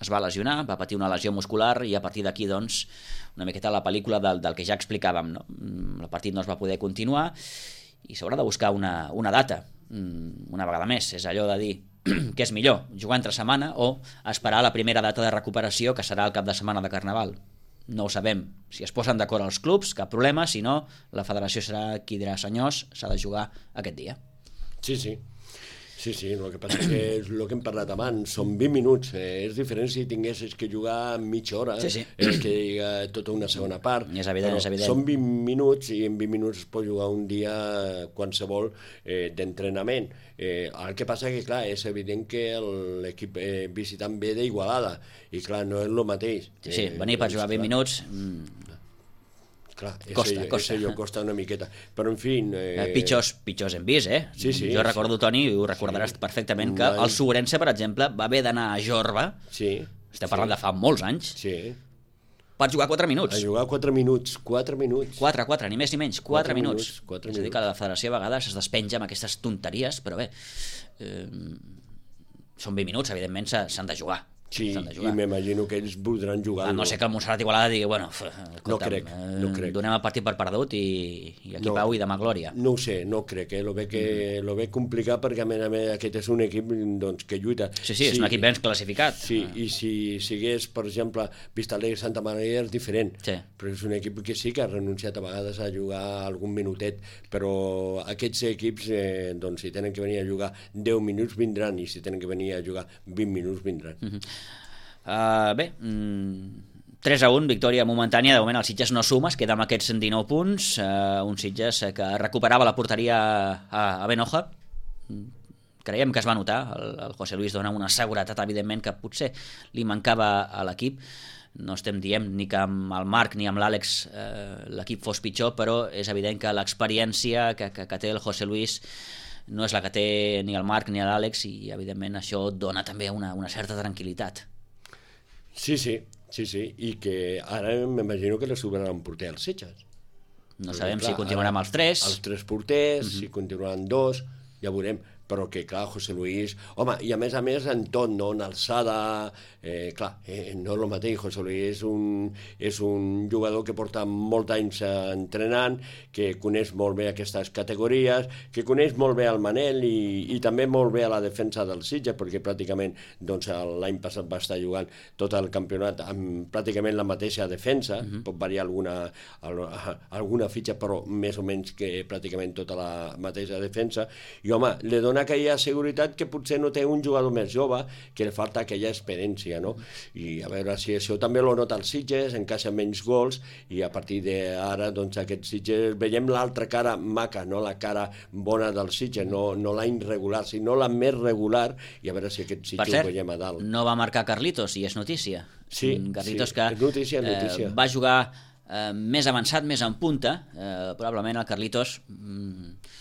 es va lesionar, va patir una lesió muscular, i a partir d'aquí, doncs, una miqueta la pel·lícula del, del que ja explicàvem, no? El partit no es va poder continuar i s'haurà de buscar una, una data, una vegada més. És allò de dir que és millor jugar entre setmana o esperar la primera data de recuperació, que serà el cap de setmana de Carnaval. No ho sabem. Si es posen d'acord els clubs, cap problema, si no, la federació serà qui dirà: senyors, s'ha de jugar aquest dia. Sí, sí. Sí, sí, el que passa és que és el que hem parlat abans, són vint minuts, eh, és diferent si tinguessis que jugar mitja hora, sí, sí. És que hi ha tota una segona part, és evident, és evident. Són vint minuts, i en vint minuts es pot jugar un dia qualsevol eh, d'entrenament. Eh, el que passa que, clar, és evident que l'equip eh, visitant ve d'Igualada, i clar, no és el mateix. Sí, sí, venir per jugar vint minuts... Mm. Clar, costa, ese, costa. Ese costa una miqueta, però en fi... Eh... Pitjors, pitjors hem vist, eh? Sí, sí, jo recordo, sí. Toni, i ho recordaràs sí. perfectament, que el Sobrense, per exemple, va haver d'anar a Jorba, sí, estem parlant sí. de fa molts anys, sí. per jugar quatre minuts. A jugar quatre minuts, quatre minuts. Quatre, quatre, ni més ni menys, quatre, quatre minuts. minuts. Quatre és a dir, que la federació a vegades es despenja amb aquestes tonteries, però bé, eh, són vint minuts, evidentment s'han de jugar. Sí, i m'imagino que ells voldran jugar. A no sé que el Montserrat Igualada digui, bueno, escolta'm, no crec, no crec. Donem el partit per perdut i, i aquí no, pau i demà glòria. No ho sé, no crec, eh? Lo veig mm. veig complicat, perquè a més a més aquest és un equip doncs, que lluita. Sí, sí, és sí, un equip ben classificat. Sí, ah. I si sigués, per exemple, Vistalegre Santa Maria és diferent, sí. Però és un equip que sí que ha renunciat a vegades a jugar algun minutet, però aquests equips, eh, doncs, si tenen que venir a jugar deu minuts vindran, i si tenen que venir a jugar vint minuts vindran. Mm-hmm. Uh, bé, mm, tres a un, victòria momentània. De moment el Sitges no suma, es queda amb aquests dinou punts, uh, un Sitges que recuperava la porteria a, a Benoja. Creiem que es va notar, el, el José Luis dona una seguretat, evidentment, que potser li mancava a l'equip. No estem dient ni que amb el Marc ni amb l'Àlex eh, l'equip fos pitjor, però és evident que l'experiència que, que, que té el José Luis no és la que té ni el Marc ni l'Àlex, i evidentment això dona també una, una certa tranquil·litat. Sí, sí, sí, sí, i que ara m'imagino que la sobraran un porter als Sitges. No sabem clar, si continuarà amb els tres. Els tres porters, uh-huh. Mhm. Si continuaran dos, ja veurem. Però que, clar, José Luis... Home, i a més a més en tot, no? En alçada... Eh, clar, eh, no és el mateix. José Luis és un, és un jugador que porta molts anys entrenant, que coneix molt bé aquestes categories, que coneix molt bé el Manel i, i també molt bé a la defensa del Sitges, perquè pràcticament doncs, l'any passat va estar jugant tot el campionat amb pràcticament la mateixa defensa, uh-huh. Pot variar alguna, alguna fitxa, però més o menys que pràcticament tota la mateixa defensa. I, home, li dona aquella seguretat que potser no té un jugador més jove, que li falta aquella experiència, no? I a veure si això també lo nota el Sitges, encaixa menys gols, i a partir d'ara, doncs, aquest Sitges veiem l'altra cara maca, no la cara bona del Sitges, no, no la irregular, sinó la més regular, i a veure si aquest Sitges cert, ho veiem a dalt. No va marcar Carlitos, i és notícia. Sí, Carlitos sí, que és notícia, notícia. Eh, va jugar eh, més avançat, més en punta, eh, probablement el Carlitos... Mm,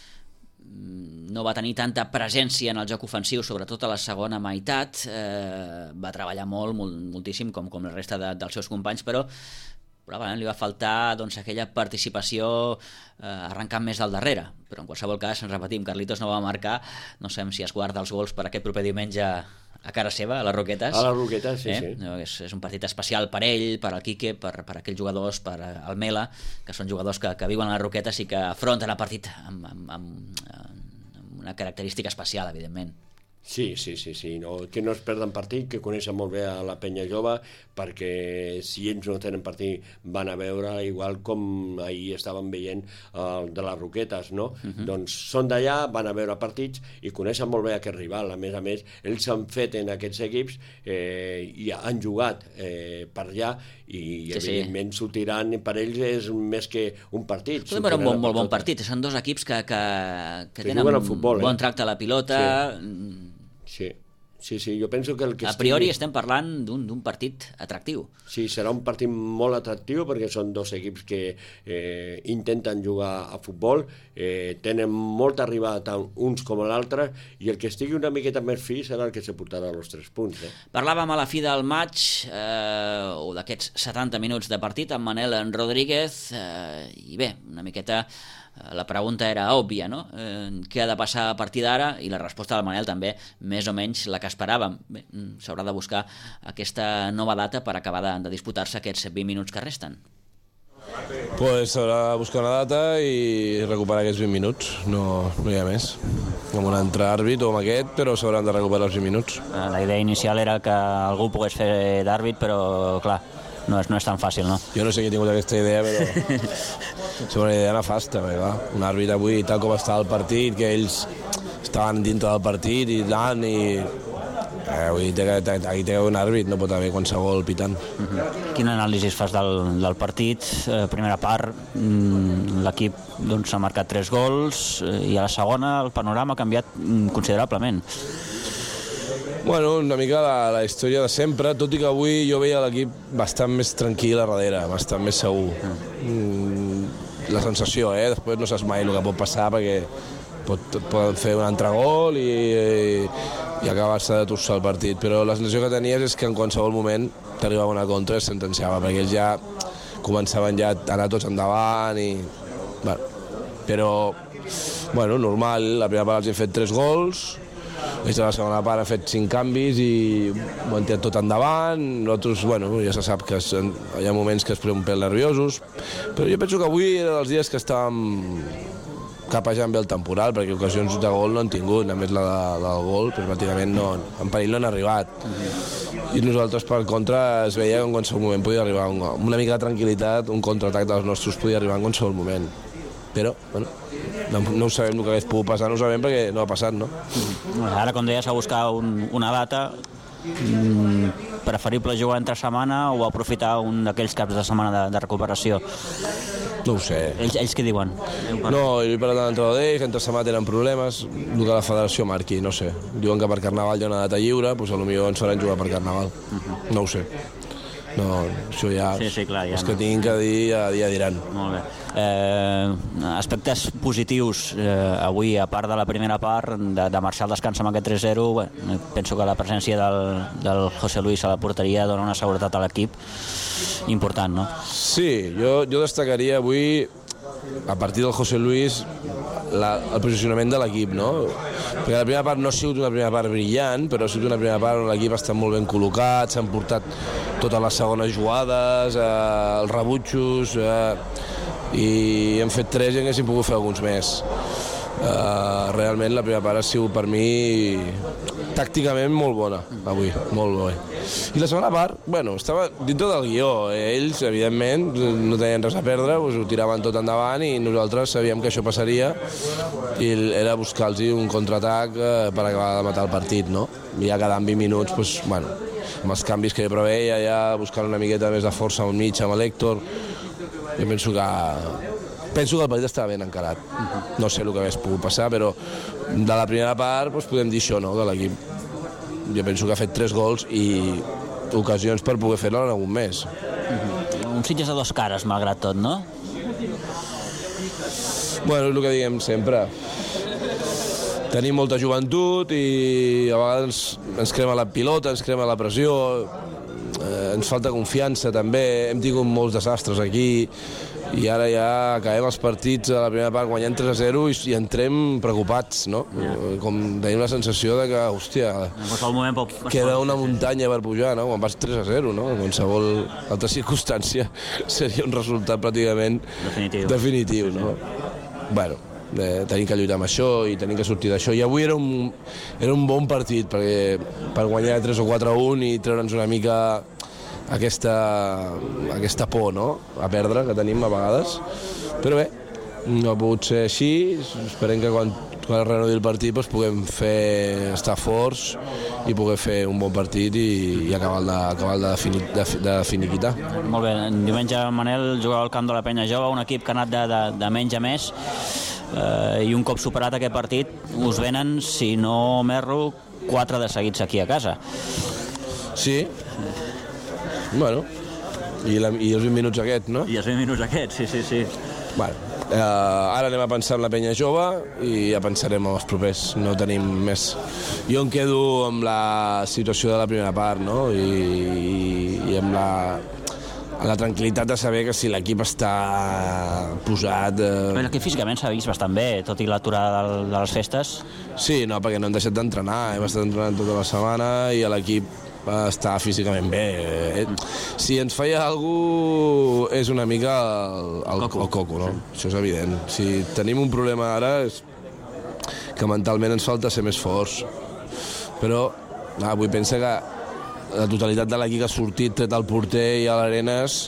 no va tenir tanta presència en el joc ofensiu, sobretot a la segona meitat, eh, va treballar molt, molt moltíssim, com, com la resta de, dels seus companys, però probablement li va faltar doncs, aquella participació eh, arrencant més del darrere, però en qualsevol cas, ens repetim, Carlitos no va marcar, no sabem si es guarda els gols per aquest proper diumenge a cara seva, a les Roquetes. A les Roquetes, sí, eh? sí. És, és un partit especial per ell, per al Quique, per, per aquells jugadors, per al Mela, que són jugadors que, que viuen a les Roquetes i que afronten el partit amb, amb, amb, amb una característica especial, evidentment. Sí, sí, sí, sí. No, que no es perden partit, que coneixen molt bé a la penya jove, perquè si ells no tenen partit van a veure, igual com ahir estàvem veient el de les Roquetes, no? Uh-huh. Doncs són d'allà, van a veure partits i coneixen molt bé aquest rival. A més a més, ells s'han fet en aquests equips eh, i han jugat eh, per allà i sí, evidentment sí. sortiran, per ells és més que un partit. Podem veure un bon, molt bon partit. Són dos equips que, que, que, que tenen un futbol, bon eh? tracte a la pilota. Sí. Sí, sí, sí, jo penso que el que a priori estigui... estem parlant d'un partit atractiu. Sí, serà un partit molt atractiu perquè són dos equips que eh, intenten jugar a futbol, eh, tenen molta arribada tant uns com l'altre i el que estigui una miqueta més fi serà el que se portarà els tres punts. Eh? Parlàvem a la fi del maig eh, o d'aquests setanta minuts de partit amb Manel Rodríguez eh, i bé, una miqueta... La pregunta era òbvia, no? Eh, què ha de passar a partir d'ara? I la resposta del Manel també, més o menys la que esperàvem. S'haurà de buscar aquesta nova data per acabar de, de disputar-se aquests vint minuts que resten. Pues s'haurà de buscar una data i recuperar aquests vint minuts, no, no hi ha més. Amb un altre àrbit o amb aquest, però s'hauran de recuperar els vint minuts. La idea inicial era que algú pogués fer d'àrbit, però clar, no és, no és tan fàcil, no? Jo no sé qui ha tingut aquesta idea, però és una idea nefasta, perquè, un àrbit avui, tal com està el partit, que ells estaven dintre del partit i tant, i eh, avui té, aquí té un àrbit, no pot haver qualsevol pitant. Uh-huh. Quin anàlisi fas del, del partit? Eh, primera part, l'equip doncs, ha marcat tres gols i a la segona el panorama ha canviat considerablement. Bueno, una mica la, la història de sempre, tot i que avui jo veia l'equip bastant més tranquil a darrere, bastant més segur. Mm, la sensació, eh? Després no saps mai el que pot passar perquè pot, poden fer un altre gol i, i, i acabar-se de torçar el partit, però la sensació que tenies és que en qualsevol moment t'arribava una contra i es sentenciava, perquè ells ja començaven ja a anar tots endavant i... Bueno, però, bueno, normal, la primera part els hem fet tres gols, ells a la segona part han fet cinc canvis i ho han tirat tot endavant. Nosaltres, bueno, ja se sap que es, hi ha moments que es posen un pèl nerviosos, però jo penso que avui era dels dies que estàvem capejant bé el temporal, perquè ocasions de gol no han tingut, a més la, la del gol, però pràcticament no, en perill no han arribat. I nosaltres, per contra, es veia que en qualsevol moment podia arribar un, una mica de tranquil·litat, un contraatac dels nostres podia arribar en qualsevol moment. Però, bueno, no, no ho sabem el que hagués pogut passar, no ho sabem perquè no ha passat, no? Ara, com deies, a buscar un, una data, mm, preferible jugar entre setmana o aprofitar un d'aquells caps de setmana de, de recuperació? No ho sé. Ells, ells què diuen? No, jo he parlat amb l'entrenador d'ells, entre setmana tenen problemes, el que la federació marqui, no sé. Diuen que per Carnaval hi ha una data lliure, doncs potser ens faran jugar per Carnaval. Uh-huh. No ho sé. No, això ja, sí, sí, clar, ja els que no. tinguin que dir ja, ja diran. Molt bé. Eh, aspectes positius eh, avui, a part de la primera part de, de marxar al descans amb aquest tres zero, bueno, penso que la presència del, del José Luis a la porteria dona una seguretat a l'equip important, no? Sí, jo, jo destacaria avui, a partir del José Luis, la, el posicionament de l'equip, no? Perquè la primera part no ha sigut una primera part brillant, però ha sigut una primera part on l'equip està molt ben col·locat, s'han portat totes les segones jugades, eh, els rebutjos, eh, i hem fet tres i en haguéssim pogut fer alguns més. Eh, realment la primera part ha sigut per mi tàcticament molt bona avui, molt bé. I la segona part, bueno, estava dintre del guió, ells evidentment no tenien res a perdre, doncs ho tiraven tot endavant i nosaltres sabíem que això passaria i era buscar-los un contraatac eh, per acabar de matar el partit, no? I ja quedant vint minuts, doncs, bueno, amb els canvis que jo preveia, ja buscant una miqueta més de força al mig amb l'Héctor, jo penso que penso que el partit estava ben encarat. No sé el que hagués pogut passar, però de la primera part doncs podem dir això, no?, de l'equip. Jo penso que ha fet tres gols i ocasions per poder fer-lo en algun més. Un Sitges de dos cares, malgrat tot, no? Bueno, és el que diguem sempre. Tenim molta joventut i a vegades ens crema la pilota, ens crema la pressió, eh, ens falta confiança també, hem tingut molts desastres aquí i ara ja acabem els partits a la primera part guanyant tres a zero i, i entrem preocupats, no? Yeah. Com tenim la sensació de que, hòstia, queda una muntanya per pujar, no? Quan vas tres a zero, no? En qualsevol altra circumstància seria un resultat pràcticament definitiu, definitiu no? Bueno, eh, tenim que lluitar amb això i tenim que sortir d'això, i avui era un, era un bon partit perquè per guanyar tres o quatre a un i treure'ns una mica aquesta, aquesta por, no?, a perdre que tenim a vegades, però bé, no ha pogut ser així. Esperem que quan, quan es renovi el partit doncs puguem fer, estar forts i poder fer un bon partit i, i acabar de, acabar de, fini, de, de finiquitar. Molt bé, diumenge Manel jugava al camp de la Penya Jove, un equip que ha anat de, de, de menys a més, eh, i un cop superat aquest partit us venen, si no m'erro, quatre de seguits aquí a casa. Sí. Bueno, i, la, i els vint minuts aquests, no? I els vint minuts aquests, sí, sí, sí. Bueno, eh, ara anem a pensar en la Penya Jove i ja pensarem en els propers, no tenim més. Jo em quedo amb la situació de la primera part, no? I, i, i amb la, la tranquil·litat de saber que si l'equip està posat... Eh... L'equip físicament s'ha vist bastant bé, tot i l'aturada de, de les festes. Sí, no, perquè no hem deixat d'entrenar, hem estat entrenant tota la setmana i l'equip està físicament bé. Si ens falla alguna cosa és una mica el, el, el coco, no? Això és evident. Si tenim un problema ara és que mentalment ens falta ser més forts. Però ah, vull pensar que la totalitat de l'equip que ha sortit, tret el porter i a l'Arenas,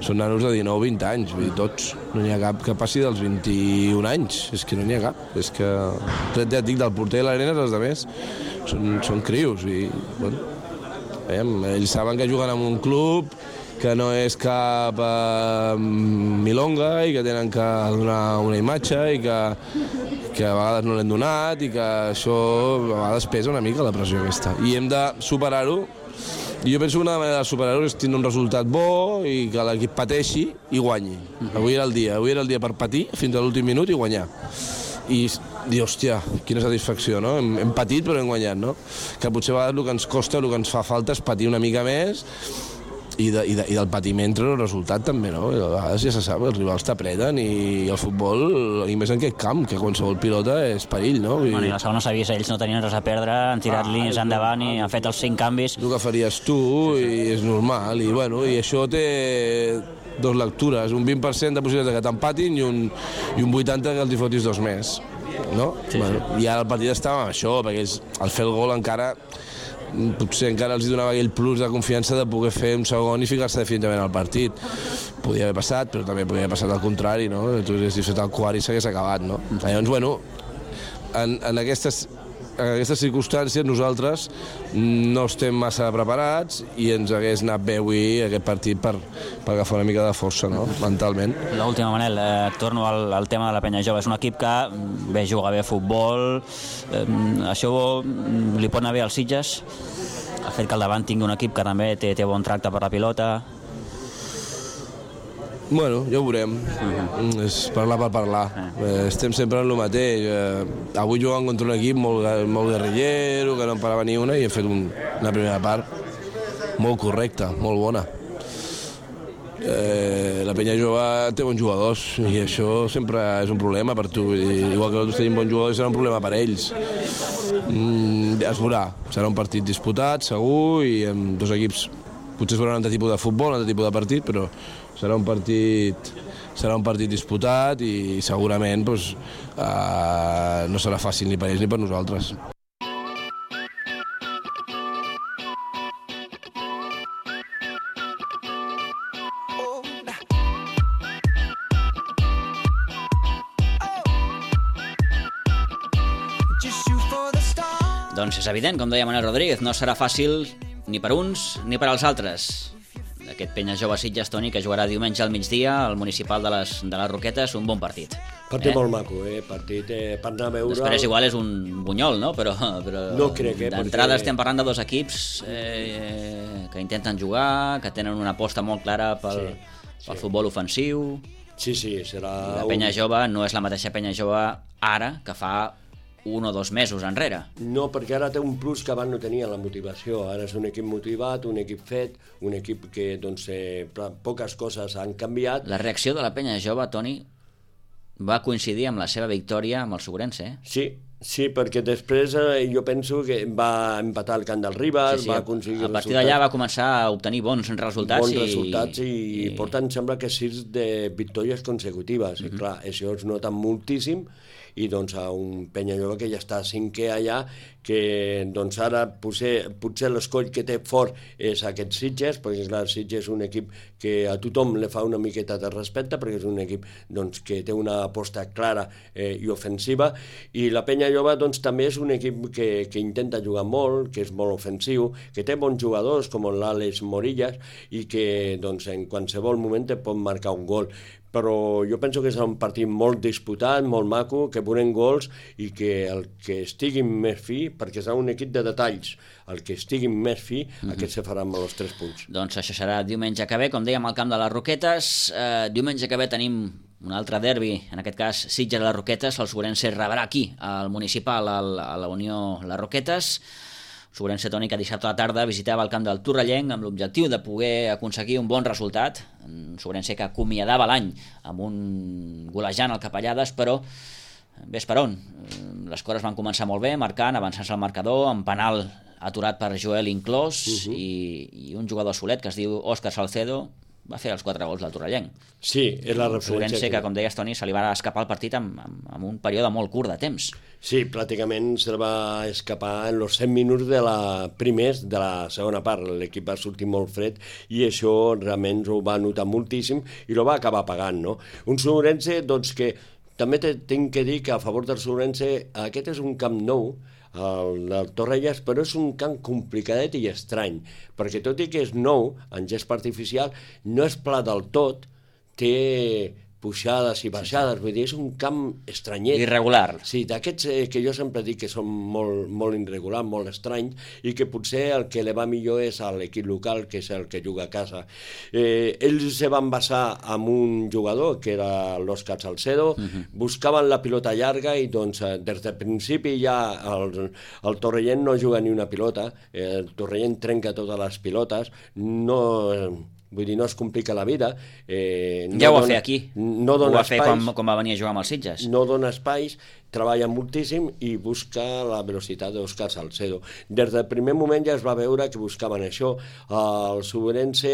són nanos de dinou o vint anys, vull dir, tots. No n'hi ha cap que passi dels vint-i-un anys, és que no n'hi ha cap. És que, tret ja et dic, del porter i l'Arenas, els altres són, són crios i, bueno, veiem, ells saben que juguen en un club que no és cap eh, milonga i que tenen que donar una imatge i que, que a vegades no l'hem donat i que això a vegades pesa una mica la pressió aquesta. I hem de superar-ho. I jo penso que una manera de superar-ho és tenir un resultat bo i que l'equip pateixi i guanyi. Avui era el dia, avui era el dia per patir fins a l'últim minut i guanyar. I dir, hòstia, quina satisfacció, no? Hem, hem patit però hem guanyat, no? Que potser a vegades el que ens costa, el que ens fa falta és patir una mica més i, de, i, de, i del patiment treure el resultat també, no? I a vegades ja se sap, els rivals t'apreten i el futbol, i més en aquest camp, que qualsevol pilota és perill, no? I... Bueno, i la segona s'ha vist, ells no tenien res a perdre, han tirat ah, línies endavant i han fet els cinc canvis. El que faries tu i és normal, i bueno, i això té dos lectures, un vint per cent de possibilitat que t'empatin i un, i un vuitanta que els hi fotis dos més, no? Sí, bueno, sí. I ara el partit estava amb això, perquè ells, al fer el gol encara, potser encara els donava aquell plus de confiança de poder fer un segon i ficar-se definitivament al partit. Podia haver passat, però també podia haver passat al contrari, no? Tu haguessis fet el quart i s'hagués acabat, no? Llavors, bueno, en, en aquestes en aquestes circumstàncies nosaltres no estem massa preparats i ens hagués anat bé avui aquest partit per, per agafar una mica de força, no? Mentalment. L'última, Manel, eh, torno al, al tema de la Penya Jove. És un equip que bé juga bé a futbol, eh, això li pot anar bé als Sitges, el fet que al davant tingui un equip que també té, té bon tracte per la pilota. Bueno, ja ho veurem. Uh-huh. És parlar per parlar. Uh-huh. Eh, estem sempre en el mateix. Eh, avui jugant contra un equip molt, molt guerrillero, que no en parava ni una, i hem fet un, una primera part molt correcta, molt bona. Eh, la Penya Jove té bons jugadors i això sempre és un problema per tu. I, igual que nosaltres tenim bons jugadors, serà un problema per ells. Mm, es veurà. Serà un partit disputat, segur, i amb dos equips potser es veurà un altre tipus de futbol, un altre tipus de partit, però serà un partit, serà un partit disputat i segurament doncs, eh, no serà fàcil ni per ells ni per nosaltres. Doncs és evident, com deia Manel Rodríguez, no serà fàcil ni per uns ni per als altres. Aquest Penya Jove Sitges, Toni, que jugarà diumenge al migdia al municipal de les, de les Roquetes, un bon partit. Partit eh? molt maco, eh? Partit eh, per anar a veure... Després igual és un bunyol, no? Però, però no crec, eh? D'entrada perquè... estem parlant de dos equips eh, que intenten jugar, que tenen una aposta molt clara pel, sí, pel sí. futbol ofensiu. Sí, sí, serà... I la Penya Jove no és la mateixa Penya Jove ara que fa un o dos mesos enrere. No, perquè ara té un plus que abans no tenia, la motivació. Ara és un equip motivat, un equip fet, un equip que doncs, eh, poques coses han canviat. La reacció de la penya jove, Toni, va coincidir amb la seva victòria amb el Segurense, eh? Sí, sí, perquè després eh, jo penso que va empatar el camp del Ribas, sí, sí, va aconseguir a partir d'allà va començar a obtenir bons resultats. Bons i... resultats i, i... i porten, sembla que sis de victòries consecutives. Mm-hmm. I clar, això es nota moltíssim, i doncs a un penya jove que ja està cinquè allà, que doncs ara potser, potser l'escoll que té fort és aquest Sitges, perquè clar, Sitges és un equip que a tothom li fa una miqueta de respecte, perquè és un equip doncs, que té una aposta clara eh, i ofensiva, i la penya jove doncs, també és un equip que, que intenta jugar molt, que és molt ofensiu, que té bons jugadors com l'Àlex Morillas, i que doncs, en qualsevol moment te pot marcar un gol. Però jo penso que és un partit molt disputat, molt maco, que veurem gols i que el que estigui més fi, perquè serà un equip de detalls, el que estigui més fi, mm-hmm. aquest se farà amb els tres punts. Doncs això serà diumenge que ve, com dèiem, al camp de les Roquetes. Eh, diumenge que ve tenim un altre derbi, en aquest cas Sitges a les Roquetes, el Segurense rebrà aquí, al municipal, al, a la Unió Les Roquetes. Segurense, Toni, que dissabte a la tarda visitava el camp del Torrellenc amb l'objectiu de poder aconseguir un bon resultat. Segurense que acomiadava l'any amb un golejant al Capellades, però ves per on. Les coses van començar molt bé, marcant, avançant-se al marcador, amb penal aturat per Joel inclòs, uh-huh. i, i un jugador solet que es diu Òscar Salcedo va fer els quatre gols del Torrellenc. Sí, és la referència. Segurense que, com deies, Toni, se li va escapar el partit amb, amb, amb un període molt curt de temps. Sí, pràcticament se va escapar en els set minuts de la primers de la segona part. L'equip va sortir molt fred i això realment ho va notar moltíssim i ho va acabar pagant, no? Un Segurense, doncs, que també tinc que dir que a favor del Segurense aquest és un camp nou, el del Torrelles, però és un camp complicadet i estrany, perquè tot i que és nou, en gespa artificial, no és pla del tot, té pujades i baixades, vull dir, és un camp estranyet. Irregular. Sí, d'aquests eh, que jo sempre dic que són molt, molt irregulars, molt estranys, i que potser el que li va millor és a l'equip local, que és el que juga a casa. Eh, ells se van basar en un jugador, que era l'Òscar Salcedo, uh-huh. buscaven la pilota llarga i doncs des del principi ja el, el Torrellenc no juga ni una pilota, eh, el Torrellenc trenca totes les pilotes, no... Vull dir, no es complica la vida. Eh, no ja ho va dona, fer aquí. No dona ho va fer espais, quan, quan va venir a jugar amb els Sitges. No dona espais, treballa moltíssim i busca la velocitat d'Òscar Salcedo. Des del primer moment ja es va veure que buscaven això. El Segurense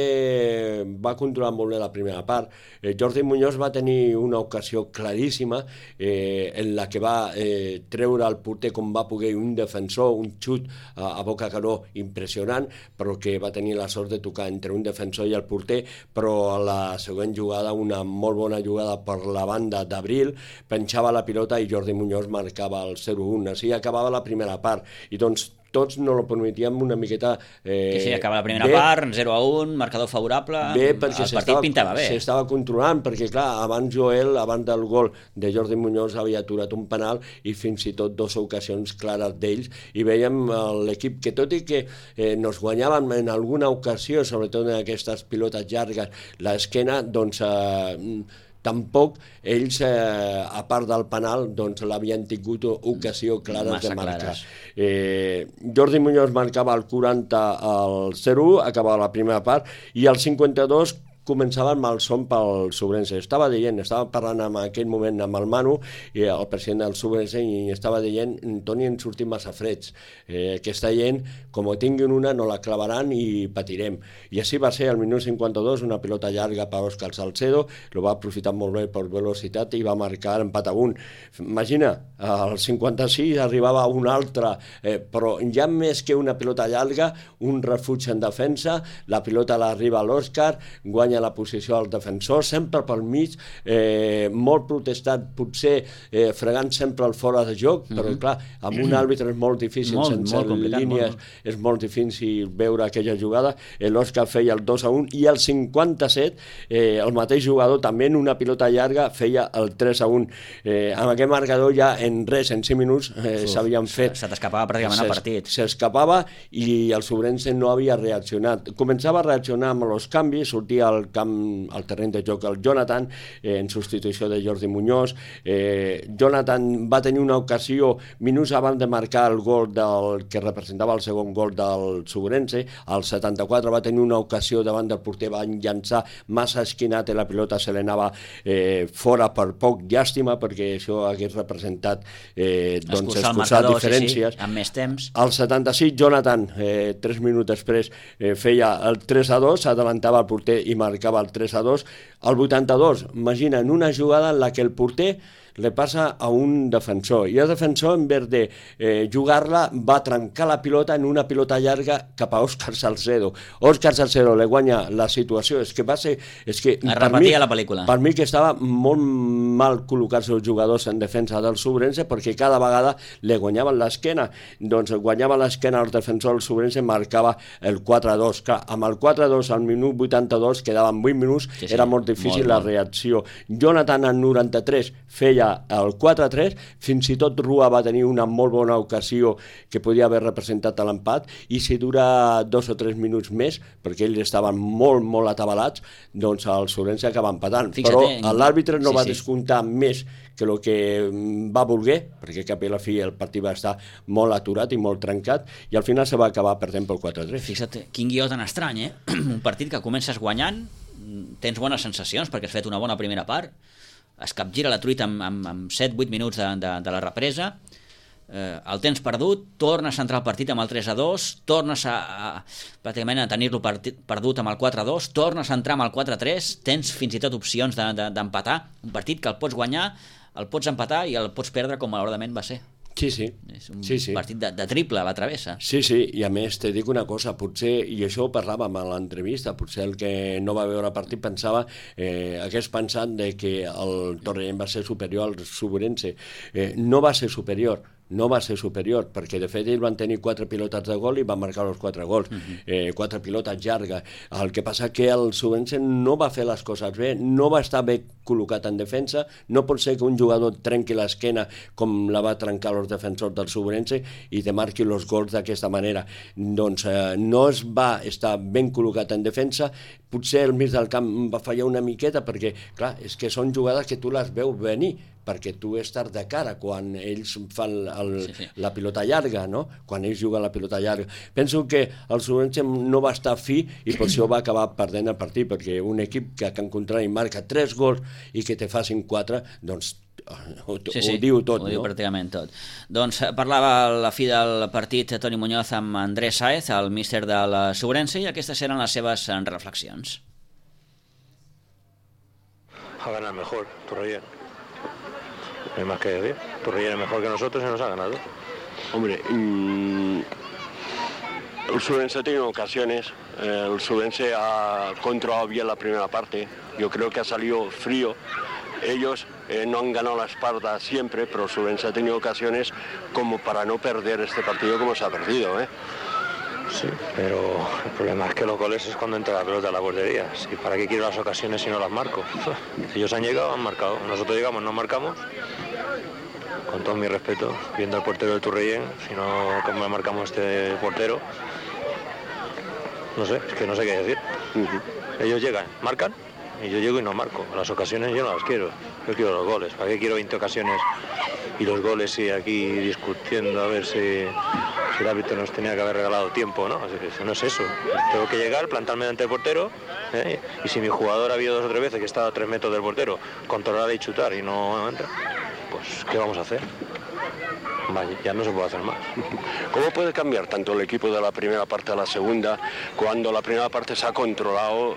va controlar molt bé la primera part. Eh, Jordi Muñoz va tenir una ocasió claríssima eh, en la que va eh, treure el porter com va poder un defensor, un xut a, a boca canó impressionant, però que va tenir la sort de tocar entre un defensor i el porter, però a la següent jugada, una molt bona jugada per la banda d'Abril, penjava la pilota i Jordi Muñoz marcava el zero un, així acabava la primera part, i doncs tots no lo permetíem una miqueta... Eh, que sí, acaba la primera bé, part, zero a un, marcador favorable, bé, perquè el partit pintava bé. S'estava controlant, perquè clar, abans Joel, abans del gol de Jordi Muñoz, havia aturat un penal i fins i tot dues ocasions clares d'ells, i veiem l'equip que tot i que eh, nos guanyaven en alguna ocasió, sobretot en aquestes pilotes llargues, l'esquena, doncs... Eh, tampoc ells, eh, a part del penal, doncs l'havien tingut ocasió clares Massa de marcar. Eh, Jordi Muñoz marcava el quaranta al zero u, acabava la primera part, i el cinquanta-dos començava el malson pel Segurense. Estava dient, estava parlant en aquell moment amb el Manu, i el president del Segurense, i estava dient, Toni, ens sortim massa freds. Eh, aquesta gent, com ho tinguin una, no la clavaran i patirem. I així va ser el minut cinquanta-dos, una pilota llarga per Òscar Salcedo, lo va aprofitar molt bé per velocitat i va marcar l'empat a un. Imagina, al cinquanta-sis arribava un altre, eh, però ja més que una pilota llarga, un refugi en defensa, la pilota l'arriba a l'Òscar, guanya la posició al defensor, sempre pel mig, eh, molt protestat, potser eh, fregant sempre el fora de joc, mm-hmm. però clar, amb un àrbitre és molt difícil, molt, sense molt línies, molt. És molt difícil veure aquella jugada. L'Òscar feia el dos a un i el cinquanta-set, eh, el mateix jugador també en una pilota llarga feia el tres a un. Eh, amb aquest marcador ja en res, en cinc minuts, eh, s'havien fet... Se t'escapava pràcticament el partit. S'escapava i el Segurense no havia reaccionat. Començava a reaccionar amb els canvis, sortia el al camp, al terreny de joc el Jonathan, eh, en substitució de Jordi Muñoz. Eh, Jonathan va tenir una ocasió minuts abans de marcar el gol del, que representava el segon gol del Subrense. Al setanta-quatre va tenir una ocasió davant del porter, va llançar massa esquinat i la pilota se l'anava eh, fora per poc. Llàstima, perquè això hagués representat eh, doncs, escurçar diferències. Sí, sí, amb més temps. Al setanta-sis, Jonathan, eh, tres minuts després, eh, feia el tres a dos, s'adelantava el porter i marcava el tres a dos. Al vuitanta-dos, imagina, en una jugada en la que el porter le passa a un defensor i el defensor, en vez de eh, jugar-la, va trencar la pilota en una pilota llarga cap a Òscar Salcedo. Òscar Salcedo le guanya la situació. És que va ser... És que, es repetia la pel·lícula. Per mi que estava molt mal col·locats els jugadors en defensa del Subrense, perquè cada vegada le guanyaven l'esquena. Doncs guanyava l'esquena el defensor del Subrense, marcava el quatre a dos. Clar, amb el quatre a dos al minut vuitanta-dos, quedaven vuit minuts, sí, sí, era molt difícil molt, la molt. reacció. Jonathan al noranta-tres feia el quatre a tres, fins i tot Rua va tenir una molt bona ocasió que podia haver representat l'empat, i si dura dos o tres minuts més, perquè ells estaven molt, molt atabalats, doncs el Subrense acaba empatant. Fixa't, però l'àrbitre no sí, va sí. descomptar més que el que va voler, perquè cap i la fi el partit va estar molt aturat i molt trencat, i al final se va acabar perdent pel quatre a tres. Fixa't, quin guió tan estrany, eh? Un partit que comences guanyant, tens bones sensacions perquè has fet una bona primera part, es capgira la truita amb, amb, amb set vuit minuts de, de, de la represa, eh, el tens perdut, tornes a entrar al partit amb el tres a dos, tornes a, a pràcticament a tenir-lo perdut amb el quatre a dos, tornes a entrar amb el quatre a tres, tens fins i tot opcions de, de, d'empatar, un partit que el pots guanyar, el pots empatar i el pots perdre com malauradament va ser. Sí, sí. És un sí, sí. partit de, de triple a la travessa. Sí, sí, i a més te dic una cosa, potser, i això ho parlàvem a l'entrevista, potser el que no va veure el partit pensava, eh, hagués pensat de que el Torrellano va ser superior al Subrense. Eh, no va ser superior, no va ser superior, perquè de fet ells van tenir quatre pilotes de gol i van marcar els quatre gols, uh-huh. eh, quatre pilotes llargues. El que passa que el Subrense no va fer les coses bé, no va estar bé col·locat en defensa, no pot ser que un jugador trenqui l'esquena com la va trencar els defensors del Subrense i te marqui els gols d'aquesta manera. Doncs eh, no es va estar ben col·locat en defensa, potser el mig del camp va fallar una miqueta, perquè clar, és que són jugades que tu les veus venir, perquè tu estàs de cara quan ells fan el, sí, sí. la pilota llarga, no? Quan ells juguen la pilota llarga. Penso que el Subrense no va estar fi i per això va acabar perdent el partit, perquè un equip que en contrari marca tres gols i que te facin quatre, doncs ho, sí, sí, ho diu tot, ho no? diu pràcticament tot. Doncs parlava a la fi del partit Toni Muñoz amb Andrés Sáez, el míster del Subrense, i aquestes eren les seves reflexions. Ha ganado mejor, Torrellano. No hay más que decir. Torrellano es mejor que nosotros y nos ha ganado. Hombre, mmm, el Subrense ha tenido ocasiones. Eh, el Subrense ha controlado bien la primera parte. Yo creo que ha salido frío. Ellos eh, no han ganado la espalda siempre, pero el Subrense ha tenido ocasiones como para no perder este partido como se ha perdido, ¿eh? Sí, pero el problema es que los goles es cuando entra la pelota a la portería. ¿Y para qué quiero las ocasiones si no las marco? Ellos han llegado, han marcado. Nosotros llegamos, no marcamos. Con todo mi respeto, viendo al portero del Torrellano, si no, como marcamos este portero, no sé, es que no sé qué decir. Uh-huh. Ellos llegan, marcan, y yo llego y no marco. Las ocasiones yo no las quiero. Yo quiero los goles. ¿Para qué quiero veinte ocasiones y los goles y aquí discutiendo a ver si, si el árbitro nos tenía que haber regalado tiempo, ¿no? Así que no es eso. Tengo que llegar, plantarme delante del portero, ¿eh? Y si mi jugador ha habido dos o tres veces que estaba a tres metros del portero, controlar y chutar y no entra, pues ¿qué vamos a hacer? Vaya, ya no se puede hacer más. ¿Cómo puede cambiar tanto el equipo de la primera parte a la segunda cuando la primera parte se ha controlado,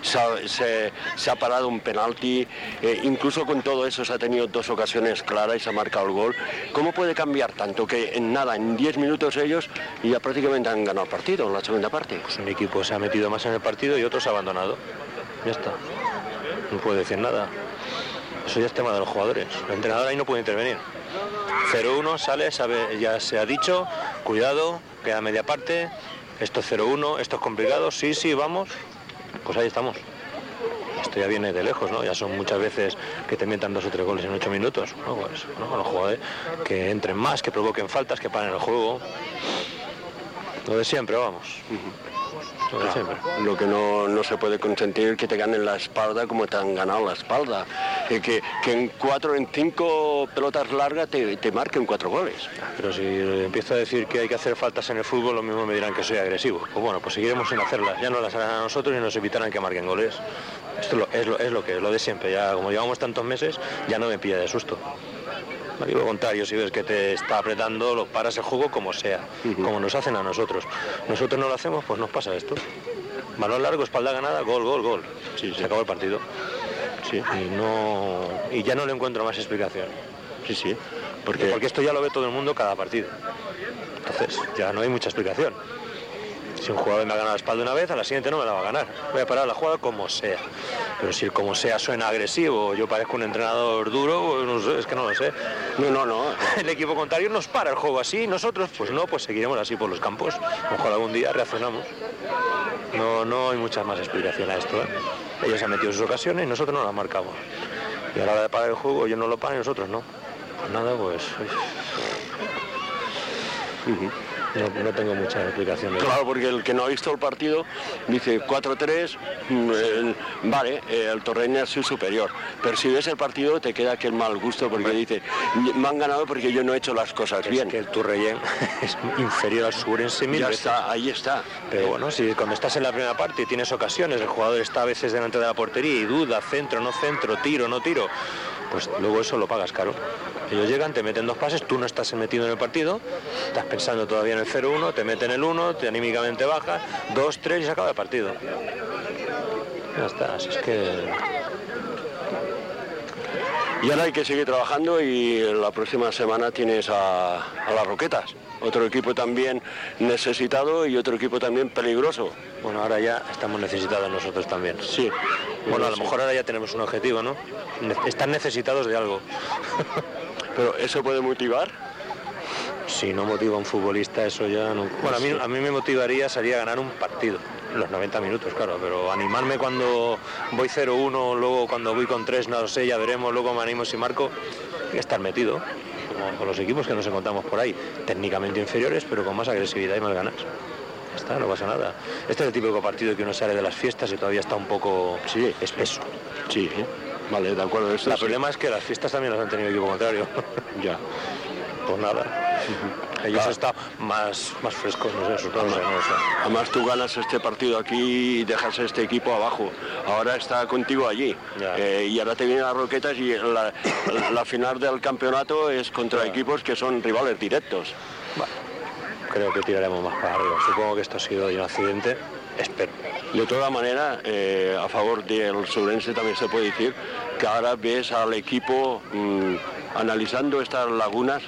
se ha, se, se ha parado un penalti, eh, incluso con todo eso se ha tenido dos ocasiones claras y se ha marcado el gol? ¿Cómo puede cambiar tanto que en nada, en diez minutos ellos ya prácticamente han ganado el partido en la segunda parte? Pues un equipo se ha metido más en el partido y otro se ha abandonado. Ya está. No puedo decir nada. Eso ya es tema de los jugadores. El entrenador ahí no puede intervenir. cero uno sale, sabe, ya se ha dicho, cuidado, queda media parte, esto es cero uno, esto es complicado, sí, sí, vamos, pues ahí estamos. Esto ya viene de lejos, ¿no? Ya son muchas veces que te metan dos o tres goles en ocho minutos, ¿no? Pues, ¿no? Los jugadores que entren más, que provoquen faltas, que paren el juego. Lo de siempre, vamos. Lo de Claro, siempre. lo que no, no se puede consentir que te ganen la espalda como te han ganado la espalda. Eh, que, que en cuatro, en cinco pelotas largas te, te marquen cuatro goles. Pero si empiezo a decir que hay que hacer faltas en el fútbol, lo mismo me dirán que soy agresivo. Pues bueno, pues seguiremos sin hacerlas. Ya no las harán a nosotros y nos evitarán que marquen goles. Esto es lo, es lo, es lo que es, lo de siempre. Ya como llevamos tantos meses, ya no me pilla de susto. Al contrario, si ves que te está apretando, lo paras el juego como sea, uh-huh. como nos hacen a nosotros. Nosotros no lo hacemos, pues nos pasa esto. Balón largo, espalda ganada, gol, gol, gol. Sí, se sí. acabó el partido. Sí. Y, no, y ya no le encuentro más explicación. Sí, sí. Porque, porque esto ya lo ve todo el mundo cada partido. Entonces, ya no hay mucha explicación. Si un jugador me ha ganado la espalda una vez, a la siguiente no me la va a ganar. Voy a parar la jugada como sea. Pero si el como sea suena agresivo, yo parezco un entrenador duro, pues no sé, es que no lo sé. No, no, no. El equipo contrario nos para el juego así, nosotros, pues no, pues seguiremos así por los campos. Ojalá algún día reaccionamos. No, no hay mucha más explicación a esto, ¿eh? Ellos han metido sus ocasiones y nosotros no las marcamos. Y a la hora de parar el juego, ellos no lo paran y nosotros no. Pues nada, pues... Uh-huh. No, no tengo muchas explicaciones. Claro, porque el que no ha visto el partido dice cuatro tres, eh, vale, eh, el Torrenya es su superior. Pero si ves el partido te queda aquel mal gusto porque dice, me han ganado porque yo no he hecho las cosas es bien. Que el Torrenya es inferior al Surense mil ya veces. Está, ahí está. Pero bueno, si cuando estás en la primera parte y tienes ocasiones, el jugador está a veces delante de la portería y duda, centro, no centro, tiro, no tiro, pues luego eso lo pagas caro. Ellos llegan, te meten dos pases, tú no estás metido en el partido, estás pensando todavía en el cero uno, te meten el uno, te anímicamente bajas, dos tres y se acaba el partido. Ya está, así es que... Y ahora hay que seguir trabajando y la próxima semana tienes a, a las Roquetas. Otro equipo también necesitado y otro equipo también peligroso. Bueno, ahora ya estamos necesitados nosotros también. Sí. Bueno, a lo mejor ahora ya tenemos un objetivo, ¿no? Están necesitados de algo. ¿Pero eso puede motivar? Si no motiva a un futbolista, eso ya no... Bueno, a mí, a mí me motivaría salir a ganar un partido. Los noventa minutos, claro, pero animarme cuando voy cero uno, luego cuando voy con tres, no lo sé, ya veremos, luego me animo si marco, hay que estar metido. Como con los equipos que nos encontramos por ahí, técnicamente inferiores, pero con más agresividad y más ganas. Ya está, no pasa nada. Este es el típico partido que uno sale de las fiestas y todavía está un poco sí, espeso. Sí, vale, de acuerdo. El problema es que las fiestas también las han tenido el equipo contrario. Ya. Pues nada. Ellos claro. están más, más frescos, no sé, no sé, no sé. Además tú ganas este partido aquí y dejas este equipo abajo. Ahora está contigo allí. Eh, y ahora te vienen las Roquetas y la, la final del campeonato es contra ya. equipos que son rivales directos. Bueno, creo que tiraremos más para arriba. Supongo que esto ha sido un accidente. Espero. De todas maneras, eh, a favor del Surense también se puede decir que ahora ves al equipo mmm, analizando estas lagunas.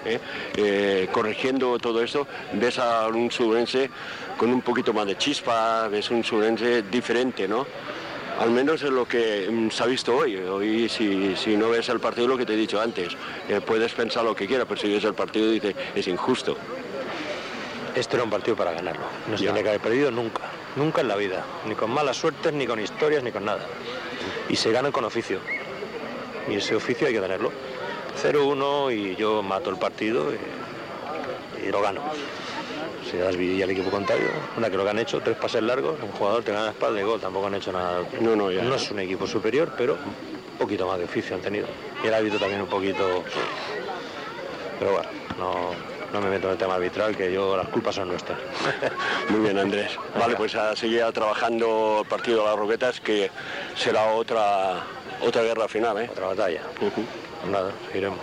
Eh, eh, corrigiendo todo esto, ves a un Surense con un poquito más de chispa, ves un Surense diferente, ¿no? Al menos es lo que mm, se ha visto hoy. Hoy si, si no ves el partido, lo que te he dicho antes, eh, puedes pensar lo que quieras, pero si ves el partido dices, es injusto. Este era un partido para ganarlo, no se tiene que haber perdido nunca, nunca en la vida, ni con malas suertes, ni con historias, ni con nada. Y se gana con oficio, y ese oficio hay que tenerlo. cero uno y yo mato el partido y, y lo gano. Si das vidilla al equipo contrario, una que lo que han hecho, tres pases largos, un jugador te gana la espalda y gol, tampoco han hecho nada. No, no, ya. No es un equipo superior, pero un poquito más de oficio han tenido. Y el árbitro también un poquito... Pero bueno, no, no me meto en el tema arbitral, que yo las culpas son nuestras. Muy bien, Andrés. Vale, pues a seguir trabajando el partido de las Roquetas, que será otra, otra guerra final, ¿eh? Otra batalla. Uh-huh. Nada, iremos.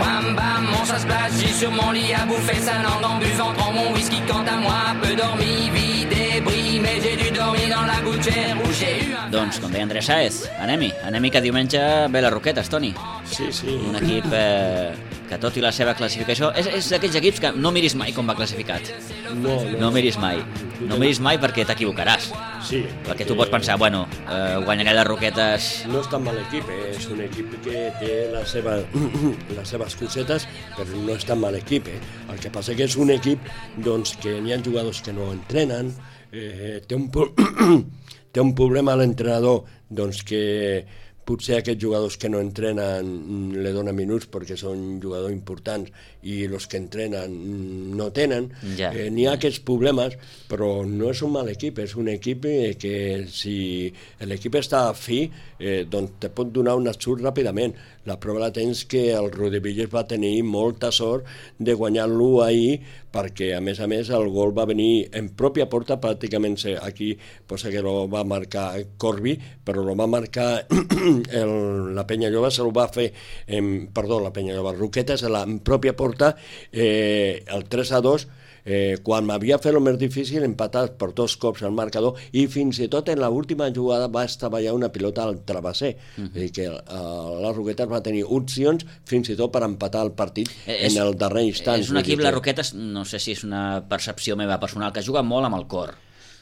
Bam bam, on ça se place, j'ai sur mon lit à bouffer sa langue en buvant, prends mon whisky quant à moi, peu dormi, vie débris, mais j'ai dû dormir dans la gouttière où j'ai eu un... Doncs, com deia Andrés Sáez, anem-hi, anem-hi que diumenge ve les Roquetes, Toni. Sí, sí. Un equip eh, que tot i la seva classificació... És, és d'aquells equips que no miris mai com va classificat. No, no. No miris mai. No miris mai perquè t'equivocaràs. Sí. Perquè tu pots pensar, bueno, eh, guanyaré les Roquetes... No és tan mal equip, eh? És un equip que té la seva, les seves cosetes, però no és tan mal equip, eh? El que passa que és un equip doncs, que n'hi ha jugadors que no entrenen, eh, té un, té un problema l'entrenador, doncs que potser aquests jugadors que no entrenen li donen minuts perquè són jugadors importants i els que entrenen no tenen. Ja. Eh, n'hi ha aquests problemes, però no és un mal equip, és un equip que si l'equip està a fi, eh, doncs te pot donar un ensurt ràpidament. La prova la tens que el Rodillas va tenir molta sort de guanyar-lo ahir, perquè a més a més el gol va venir en pròpia porta, pràcticament aquí posa que lo va marcar Corbi, però lo va marcar el, la Penyalloba, se lo va fer en, perdó, la Penyalloba, Roquetes en la en pròpia porta, eh, el tres a dos, eh, quan m'havia fet el més difícil, empatat per dos cops al marcador, i fins i tot en l'última jugada va estavellar una pilota al travesser. Uh-huh. És a dir, que uh, la Roquetes va tenir opcions fins i tot per empatar el partit eh, en és, el darrer instant. És un equip, la Roquetes, no sé si és una percepció meva personal, que juga molt amb el cor,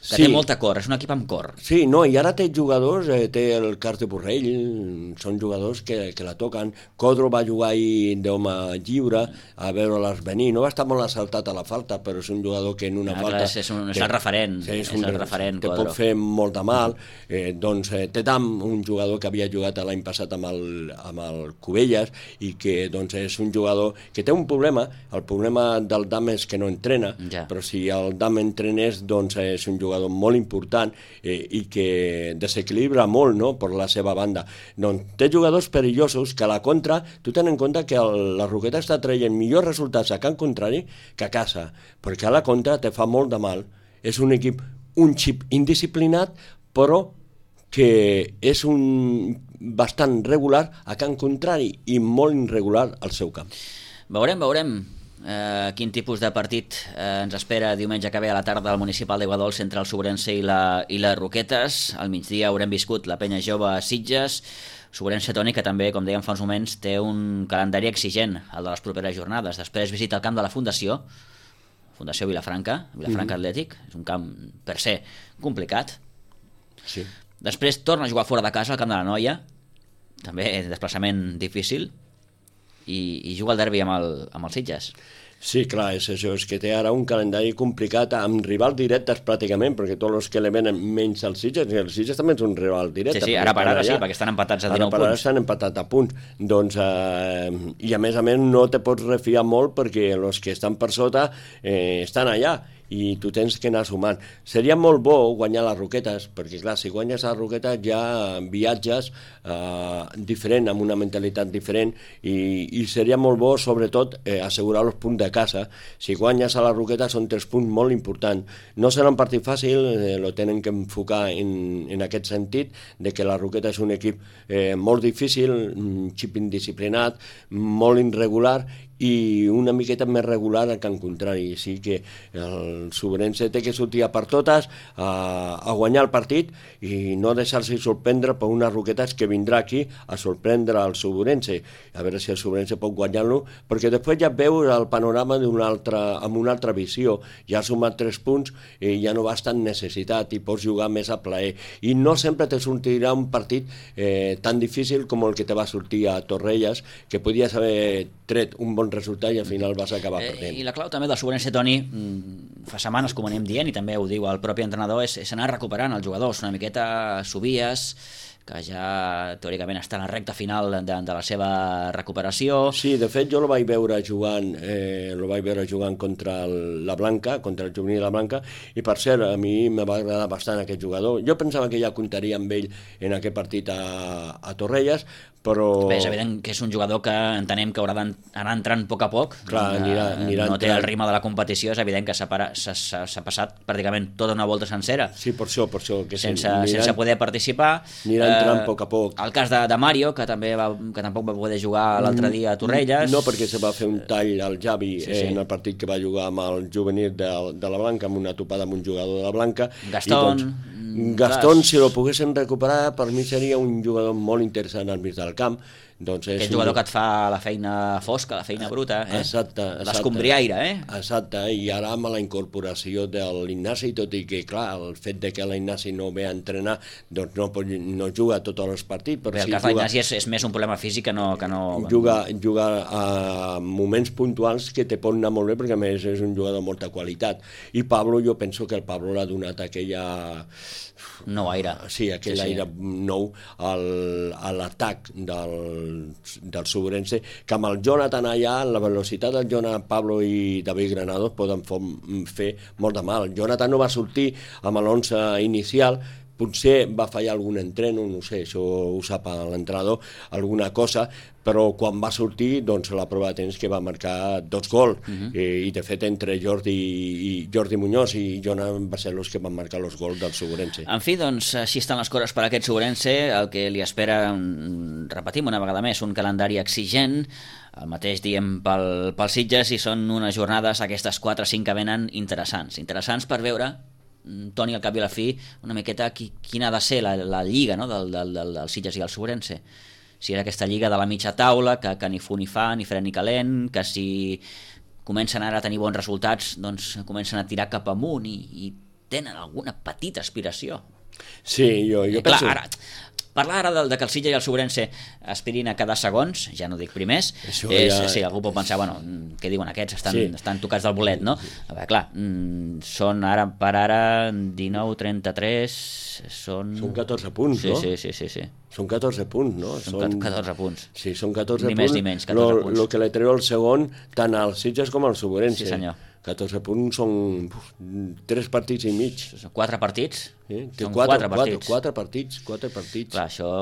que sí. té molta cor, és un equip amb cor. Sí, no, i ara té jugadors, eh, té el Carles Borrell, són jugadors que, que la toquen. Codro va jugar ahir d'home lliure, a veure-les venir, no va estar molt assaltat a la falta, però és un jugador que en una ah, falta... Clar, és, un, és el referent, sí, és, un, és el referent, te Codro. Pot fer molt de mal. Eh, doncs eh, té Tam, un jugador que havia jugat l'any passat amb el, amb el Cubelles, i que doncs, és un jugador que té un problema. El problema del Dam és que no entrena, ja. Però si el Dam entrenés, doncs és un jugador molt important eh, i que desequilibra molt, no?, per la seva banda. Doncs té jugadors perillosos que a la contra, tu ten en compte que el, la Roqueta està traient millors resultats a camp contrari que a casa, perquè a la contra te fa molt de mal. És un equip, un xip indisciplinat, però que és un bastant regular a camp contrari i molt irregular al seu camp. Veurem, veurem. Uh, quin tipus de partit uh, ens espera diumenge que ve a la tarda al municipal d'Aiguadols entre el Sobrense i la, i les Roquetes. Al migdia haurem viscut la Penya Jove a Sitges, Sobrense, Toni, que també, com dèiem fa uns moments, té un calendari exigent, el de les properes jornades. Després visita el camp de la Fundació, Fundació Vilafranca, Vilafranca mm-hmm. Atlètic, és un camp per ser complicat. Sí. Després torna a jugar fora de casa al camp de la Noia, també desplaçament difícil, i, i juga el derbi amb el, amb els Sitges. Sí, clar, és això, és que té ara un calendari complicat amb rivals directes pràcticament, perquè tots els que le venen menys els Sitges, i els Sitges també és un rival directe. Sí, sí, ara per ara sí, perquè estan empatats a dinou punts. Ara per ara estan empatats a punts. Doncs, eh, i a més a més no te pots refiar molt perquè els que estan per sota eh, estan allà, i tu tens que anar sumant. Seria molt bo guanyar les Roquetes, perquè clar, si guanyes les Roquetes ja viatges eh, diferent, amb una mentalitat diferent, i, i seria molt bo sobretot eh, assegurar els punts de casa. Si guanyes a les Roquetes són tres punts molt importants. No serà un partit fàcil, eh, lo tenen que enfocar en, en aquest sentit, de que la Roqueta és un equip eh, molt difícil, un xip indisciplinat, molt irregular, i una miqueta més regular al camp contrari. Sí que el Sobrense té que sortir a per totes a, a guanyar el partit i no deixar-se sorprendre per unes Roquetes que vindrà aquí a sorprendre el Sobrense, a veure si el Sobrense pot guanyar-lo, perquè després ja veus el panorama d'una altra, amb una altra visió. Ja has sumat tres punts i ja no vas tan necessitat i pots jugar més a plaer, i no sempre te sortirà un partit eh, tan difícil com el que te va sortir a Torrelles, que podies haver tret un bon resultat i al final vas acabar perdent. Eh, I la clau també del Sobrense, Toni, fa setmanes, com anem dient, i també ho diu el propi entrenador, és, és anar recuperant els jugadors, una miqueta Subies, que ja teòricament està en la recta final de, de la seva recuperació. Sí, de fet jo lo vaig veure jugant eh, lo vaig veure jugant contra el, la Blanca, contra el juvenil de la Blanca, i per cert, a mi me va agradar bastant aquest jugador. Jo pensava que ja comptaria amb ell en aquest partit a, a Torrelles, però... Bé, és evident que és un jugador que entenem que haurà d'anar entrant a poc a poc. Clar, anirà, anirà no té el ritme de la competició, és evident que s'ha passat pràcticament tota una volta sencera. Sí, per això, per això. Que sense, sense poder participar. Anirà entrant a poc a poc. El cas de, de Mario, que també va, que tampoc va poder jugar l'altre dia a Torrelles. No, perquè se va fer un tall al Javi sí, sí. en el partit que va jugar amb el juvenil de, de la Blanca, amb una topada amb un jugador de la Blanca. Gastón. I, doncs, Gastón, si lo poguessin recuperar, per mi seria un jugador molt interessant al mig del camp. Doncs és Aquest jugador un... que et fa la feina fosca, la feina bruta, eh? Exacte, exacte. L'escombriaire, eh? Exacte, i ara amb la incorporació de l'Ignasi, tot i que, clar, el fet de que l'Ignasi no ve a entrenar, doncs no, no juga tots els partits. Però Bé, el sí cas de l'Ignasi és, és més un problema físic que no... Que no... Juga, juga a moments puntuals que te pot anar molt bé, perquè a més és un jugador de molta qualitat. I Pablo, jo penso que el Pablo l'ha donat aquella... Nou aire. Sí, aquell sí, sí. aire nou al, a l'atac del, del Sobrense, que amb el Jonathan allà, la velocitat del Jonathan, Pablo i David Granados poden fer molt de mal. El Jonathan no va sortir amb l'onze inicial, potser va fallar algun entreno, no sé, això ho sap l'entrenador, alguna cosa, però quan va sortir, doncs la prova de temps que va marcar dos gols, uh-huh. I, i de fet entre Jordi i Jordi Muñoz i Jonan va ser els que van marcar els gols del Sobrense. En fi, doncs així estan les coses per a aquest Sobrense, el que li espera, repetim una vegada més, un calendari exigent, el mateix diem pel, pel Sitges, i són unes jornades, aquestes quatre o cinc que venen, interessants, interessants per veure, Toni, al cap i a la fi, una miqueta qui, quina ha de ser la, la lliga, no? del, del, del, del Sitges i el Sobrense. Si és aquesta lliga de la mitja taula, que, que ni fu ni fa, ni fred ni calent, que si comencen ara a tenir bons resultats, doncs comencen a tirar cap amunt i, i tenen alguna petita aspiració. Sí, jo, jo eh, penso... Clar, ara, parlar ara de, de que el Sitges i el Sobrense aspirin a quedar segons, ja no dic primers, és, ja... sí, algú pot pensar, bueno, què diuen aquests, estan, sí. estan tocats del bolet, no? A veure, clar, són ara per ara dinou, trenta-tres, són... Són catorze punts, sí, no? Sí, sí, sí, sí. Són catorze punts, no? Són, són catorze punts. Sí, són catorze ni punts. Ni més ni menys, catorze lo, punts. El que li treu el segon, tant al Sitges com al Sobrense. Sí, senyor. catorze punts són uf, tres partits i mig. Quatre partits? Sí, són quatre, quatre partits. Quatre, quatre partits, quatre partits. Clar, això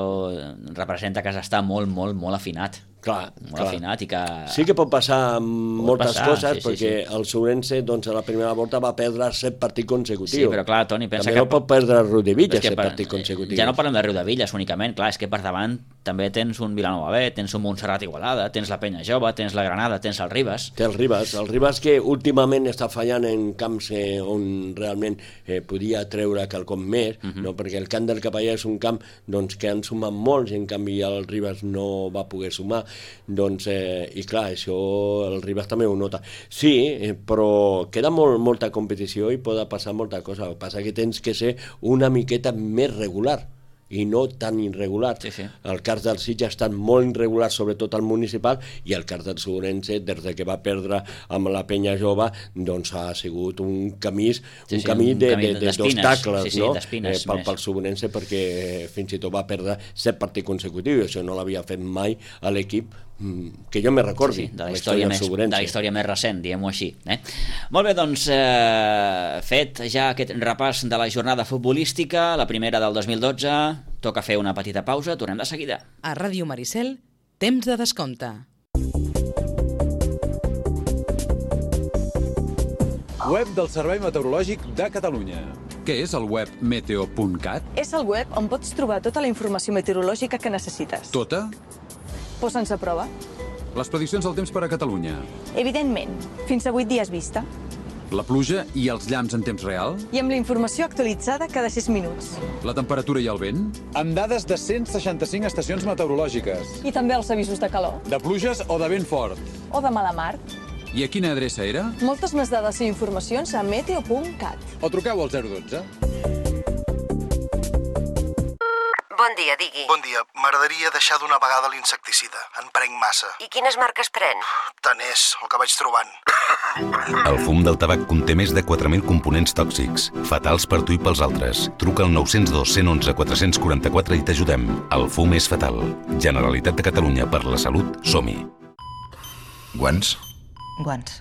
representa que s'està molt, molt, molt afinat. Clar, molt clar. afinat i que... Sí que pot passar moltes passar, coses, sí, sí, perquè sí. El Sobrense, doncs, a la primera volta va perdre set partits consecutius. Sí, però clar, Toni, pensa també que... no pot perdre Riudevilles set per... partits consecutius. Ja no parlem de Riudevilles únicament, clar, és que per davant també tens un Vilanova B, tens un Montserrat Igualada, tens la Penya Jove, tens la Granada, tens el Ribas. Té el Ribas, el Ribas que últimament està fallant en camps eh, on realment eh, podia treure quelcom més, uh-huh. no? Perquè el camp del Capellà és un camp doncs, que han sumat molts, i en canvi el Ribas no va poder sumar, doncs, eh, i clar, això el Ribas també ho nota. Sí, eh, però queda molt, molta competició i pot passar molta cosa, el que passa que tens que ser una miqueta més regular i no tan irregular. Sí, sí. El cas del Sitges ha estat molt irregular, sobretot al municipal, i el cas del Sobrense, des de que va perdre amb la Penya Jove, doncs ha sigut un camí, sí, un sí, camí un de, camí de, de, d'espines, d'obstacles, sí, sí, no? d'espines, eh, pel, pel Sobrense, perquè fins i tot va perdre set partits consecutius, això no l'havia fet mai a l'equip que jo me recordi, sí, sí, de, la història la més, més, de la història més recent, diguem-ho així. Eh? Molt bé, doncs, eh, fet ja aquest repàs de la jornada futbolística, la primera del dos mil dotze, toca fer una petita pausa, tornem de seguida. A Ràdio Maricel, temps de descompte. Web del Servei Meteorològic de Catalunya. Què és el web meteo punt cat? És el web on pots trobar tota la informació meteorològica que necessites. Tota? Posa'ns a prova. Les prediccions del temps per a Catalunya. Evidentment, fins a vuit dies vista. La pluja i els llamps en temps real. I amb la informació actualitzada cada sis minuts. La temperatura i el vent. Amb dades de cent seixanta-cinc estacions meteorològiques. I també els avisos de calor. De pluges o de vent fort. O de mala mar. I a quina adreça era? Moltes més dades i informacions a meteo punt cat. O truqueu al zero dotze. Bon dia, digui. Bon dia. M'agradaria deixar d'una vegada l'insecticida. En prenc massa. I quines marques pren? Tant és, el que vaig trobant. El fum del tabac conté més de quatre mil components tòxics, fatals per tu i pels altres. Truca al nou zero dos, cent onze, quatre cents quaranta-quatre i t'ajudem. El fum és fatal. Generalitat de Catalunya, per la salut, som-hi. Guants? Guants.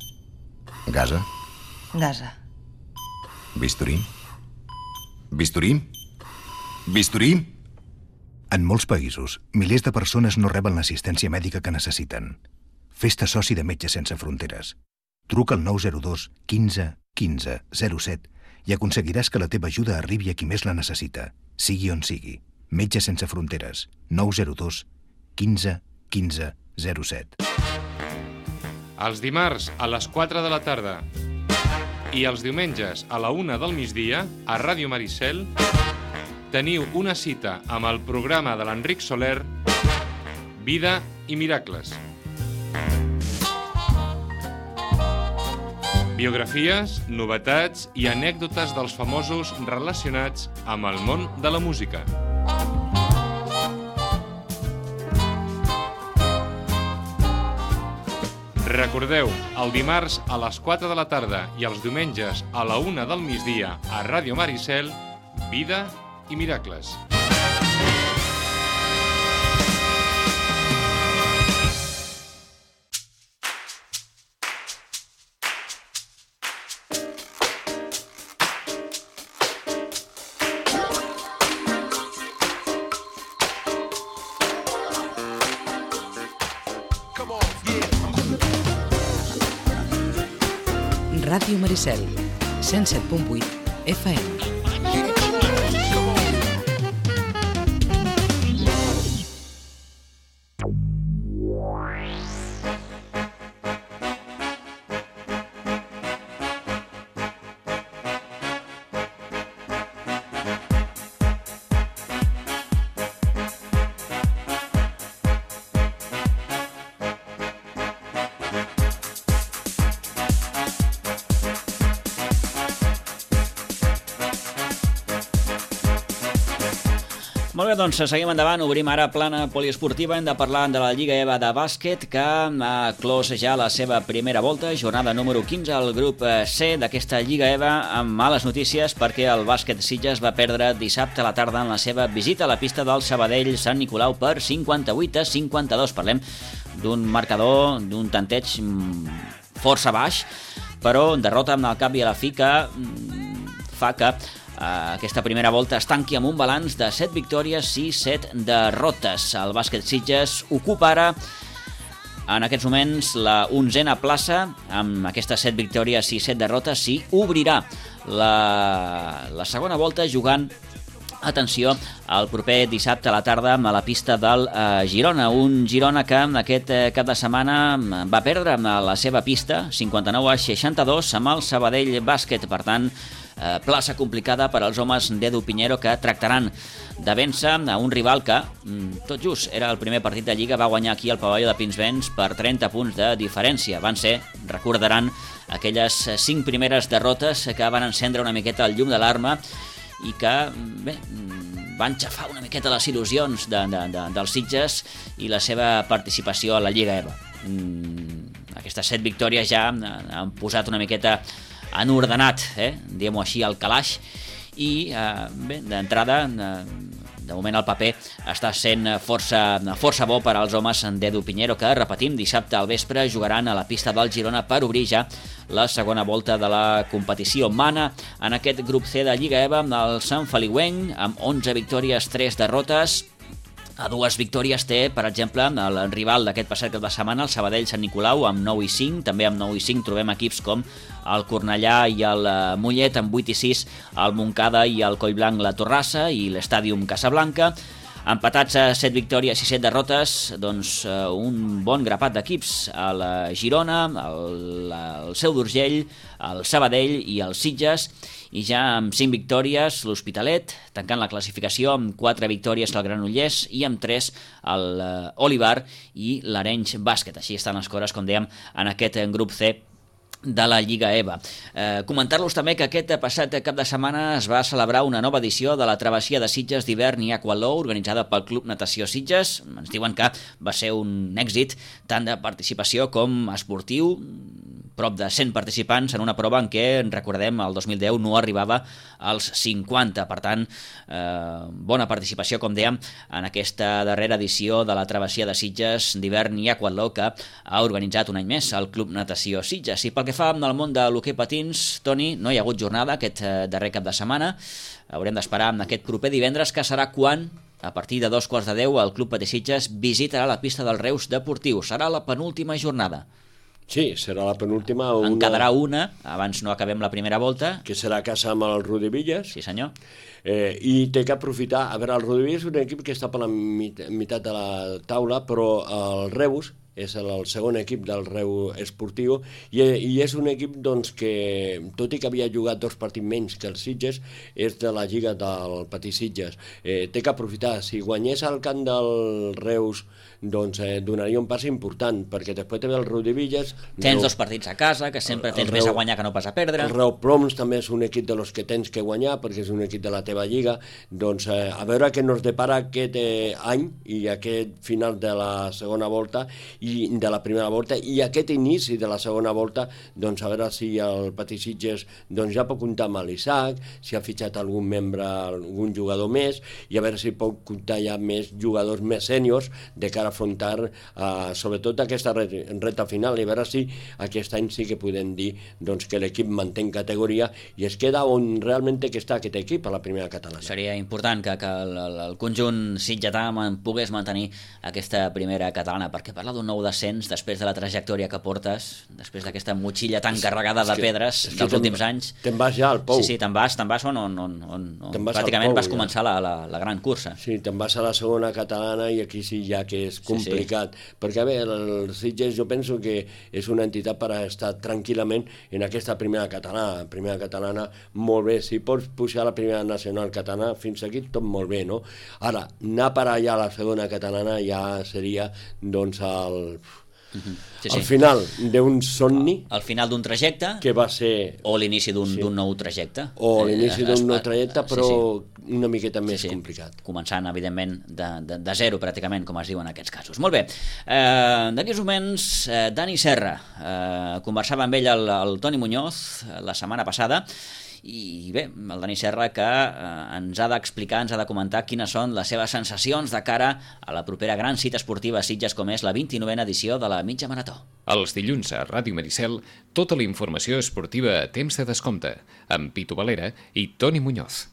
Gasa? Gasa. Bisturí? Bisturí? Bisturí? En molts països, milers de persones no reben l'assistència mèdica que necessiten. Fes-te soci de Metges Sense Fronteres. Truca al nou zero dos, quinze, quinze, zero set i aconseguiràs que la teva ajuda arribi a qui més la necessita, sigui on sigui. Metges Sense Fronteres. nou zero dos, quinze, quinze, zero set. Els dimarts a les quatre de la tarda i els diumenges a la una del migdia a Ràdio Maricel teniu una cita amb el programa de l'Enric Soler Vida i miracles. Biografies, novetats i anècdotes dels famosos relacionats amb el món de la música. Recordeu, el dimarts a les quatre de la tarda i els diumenges a la una del migdia a Ràdio Maricel, Vida i miracles. Ràdio Maricel, cent set punt vuit F M. Molt bé, doncs seguim endavant, obrim ara plana poliesportiva, hem de parlar de la Lliga EVA de bàsquet que ha clos ja la seva primera volta, jornada número quinze al grup C d'aquesta Lliga EVA, amb males notícies perquè el bàsquet Sitges va perdre dissabte a la tarda en la seva visita a la pista del Sabadell Sant Nicolau per cinquanta-vuit a cinquanta-dos. Parlem d'un marcador, d'un tanteig força baix, però derrota amb el cap i a la fi que fa que aquesta primera volta es tanqui amb un balanç de set victòries i set derrotes. El bàsquet Sitges ocupa ara en aquests moments la onzena plaça, amb aquestes set victòries i set derrotes, i obrirà la, la segona volta jugant, atenció, el proper dissabte a la tarda a la pista del eh, Girona. Un Girona que aquest eh, cap de setmana va perdre a la seva pista cinquanta-nou a seixanta-dos amb el Sabadell Bàsquet. Per tant, eh, plaça complicada per als homes d'Edu Piñero, que tractaran de vèncer a un rival que, tot just, era el primer partit de Lliga, va guanyar aquí al pavelló de Pinsbens per trenta punts de diferència. Van ser, recordaran, aquelles cinc primeres derrotes que van encendre una miqueta el llum de l'arma i que, bé, van xafar una miqueta les il·lusions de, de, de, dels Sitges i la seva participació a la Lliga EVA. Mm, aquestes set victòries ja han posat una miqueta enordenat, eh, diguem-ho així, al calaix, i, eh, bé, d'entrada, eh, de moment el paper està sent força, força bo per als homes d'Edu Piñero, que, repetim, dissabte al vespre jugaran a la pista del Girona per obrir ja la segona volta de la competició. Mana en aquest grup C de Lliga EVA el Sant Feliuenc, amb onze victòries, tres derrotes. A dues victòries té, per exemple, el rival d'aquest passat cap de setmana, el Sabadell Sant Nicolau, amb nou i cinc. També amb nou i cinc trobem equips com el Cornellà i el Mollet, amb vuit i sis el Montcada i el Collblanc la Torrassa i l'Estàdium Casablanca. Empatats a set victòries i set derrotes, doncs un bon grapat d'equips, el Girona, el, el Seu d'Urgell, el Sabadell i el Sitges, i ja amb cinc victòries l'Hospitalet, tancant la classificació amb quatre victòries el Granollers i amb tres el Olivar i l'Arenys Bàsquet. Així estan les coses, com dèiem, en aquest grup C de la Lliga EVA. Eh, Comentar-los també que aquest passat cap de setmana es va celebrar una nova edició de la travessia de Sitges d'hivern i Aqualó, organitzada pel Club Natació Sitges. Ens diuen que va ser un èxit tant de participació com esportiu, prop de cent participants en una prova en què, recordem, el dos mil deu no arribava als cinquanta. Per tant, eh, bona participació, com dèiem, en aquesta darrera edició de la travessia de Sitges d'hivern i Aqualó, que ha organitzat un any més el Club Natació Sitges. I pel que fa al món de l'hoquei patins, Toni, no hi ha hagut jornada aquest darrer cap de setmana. Haurem d'esperar amb aquest proper divendres, que serà quan, a partir de dos quarts de deu, el Club Patí Sitges visitarà la pista del Reus Deportiu. Serà la penúltima jornada. Sí, serà la penúltima. Una... En quedarà una, abans no acabem la primera volta. Que serà a casa amb el Rodevillas. Sí, senyor. Eh, I té que aprofitar. A veure, el Rodevillas és un equip que està per la mit meitat de la taula, però el Reus és el, el segon equip del Reu Esportiu, i, i és un equip doncs, que, tot i que havia jugat dos partits menys que els Sitges, és de la lliga del Petit Sitges. Eh, té que aprofitar, si guanyés al camp del Reus, doncs eh, donaria un pas important, perquè després té el Riudevilles... Tens Reu... dos partits a casa, que sempre tens Reu... més a guanyar que no pas a perdre. El Reu Ploms també és un equip de los que tens que guanyar, perquè és un equip de la teva lliga. Doncs eh, a veure què nos depara aquest eh, any i aquest final de la segona volta i de la primera volta i aquest inici de la segona volta, doncs a veure si el Petit Sitges doncs, ja pot comptar amb l'Isaac, si ha fitxat algun membre, algun jugador més, i a veure si pot comptar ja més jugadors més sèniors de cara a afrontar uh, sobretot aquesta reta final i a veure si aquest any sí que podem dir doncs, que l'equip manté categoria i es queda on realment té que estar aquest equip a la primera catalana. Seria important que, que el, el conjunt sitgetà pogués mantenir aquesta primera catalana, perquè parlar d'un nou descens després de la trajectòria que portes, després d'aquesta motxilla tan carregada de pedres es que dels últims anys... Te'n vas ja al Pou. Sí, sí, te'n vas, te'n vas on, on, on, on, on pràcticament Pou, vas començar ja. la, la, la gran cursa. Sí, te'n vas a la segona catalana i aquí sí ja que és complicat, sí, sí. perquè a veure, el Sitges jo penso que és una entitat per estar tranquil·lament en aquesta primera catalana, primera catalana molt bé, si pots pujar a la primera nacional catalana fins aquí tot molt bé, no? Ara, anar per allà a la segona catalana ja seria doncs el... Uh-huh. Sí, al sí. final d'un somni al final d'un trajecte que va ser o l'inici d'un sí. nou trajecte o l'inici d'un nou trajecte però sí, sí. una miqueta més sí, sí. complicat, començant evidentment de, de, de zero pràcticament, com es diu en aquests casos. Molt bé, eh, d'aquí uns moments eh, Dani Serra, eh, conversava amb ell el, el Toni Muñoz la setmana passada i bé, el Dani Serra que eh, ens ha d'explicar, ens ha de comentar quines són les seves sensacions de cara a la propera gran cita esportiva a Sitges com és la vint-i-novena edició de la mitja marató. Els dilluns a Ràdio Maricel, tota la informació esportiva a temps de descompte, amb Pitu Valera i Toni Muñoz.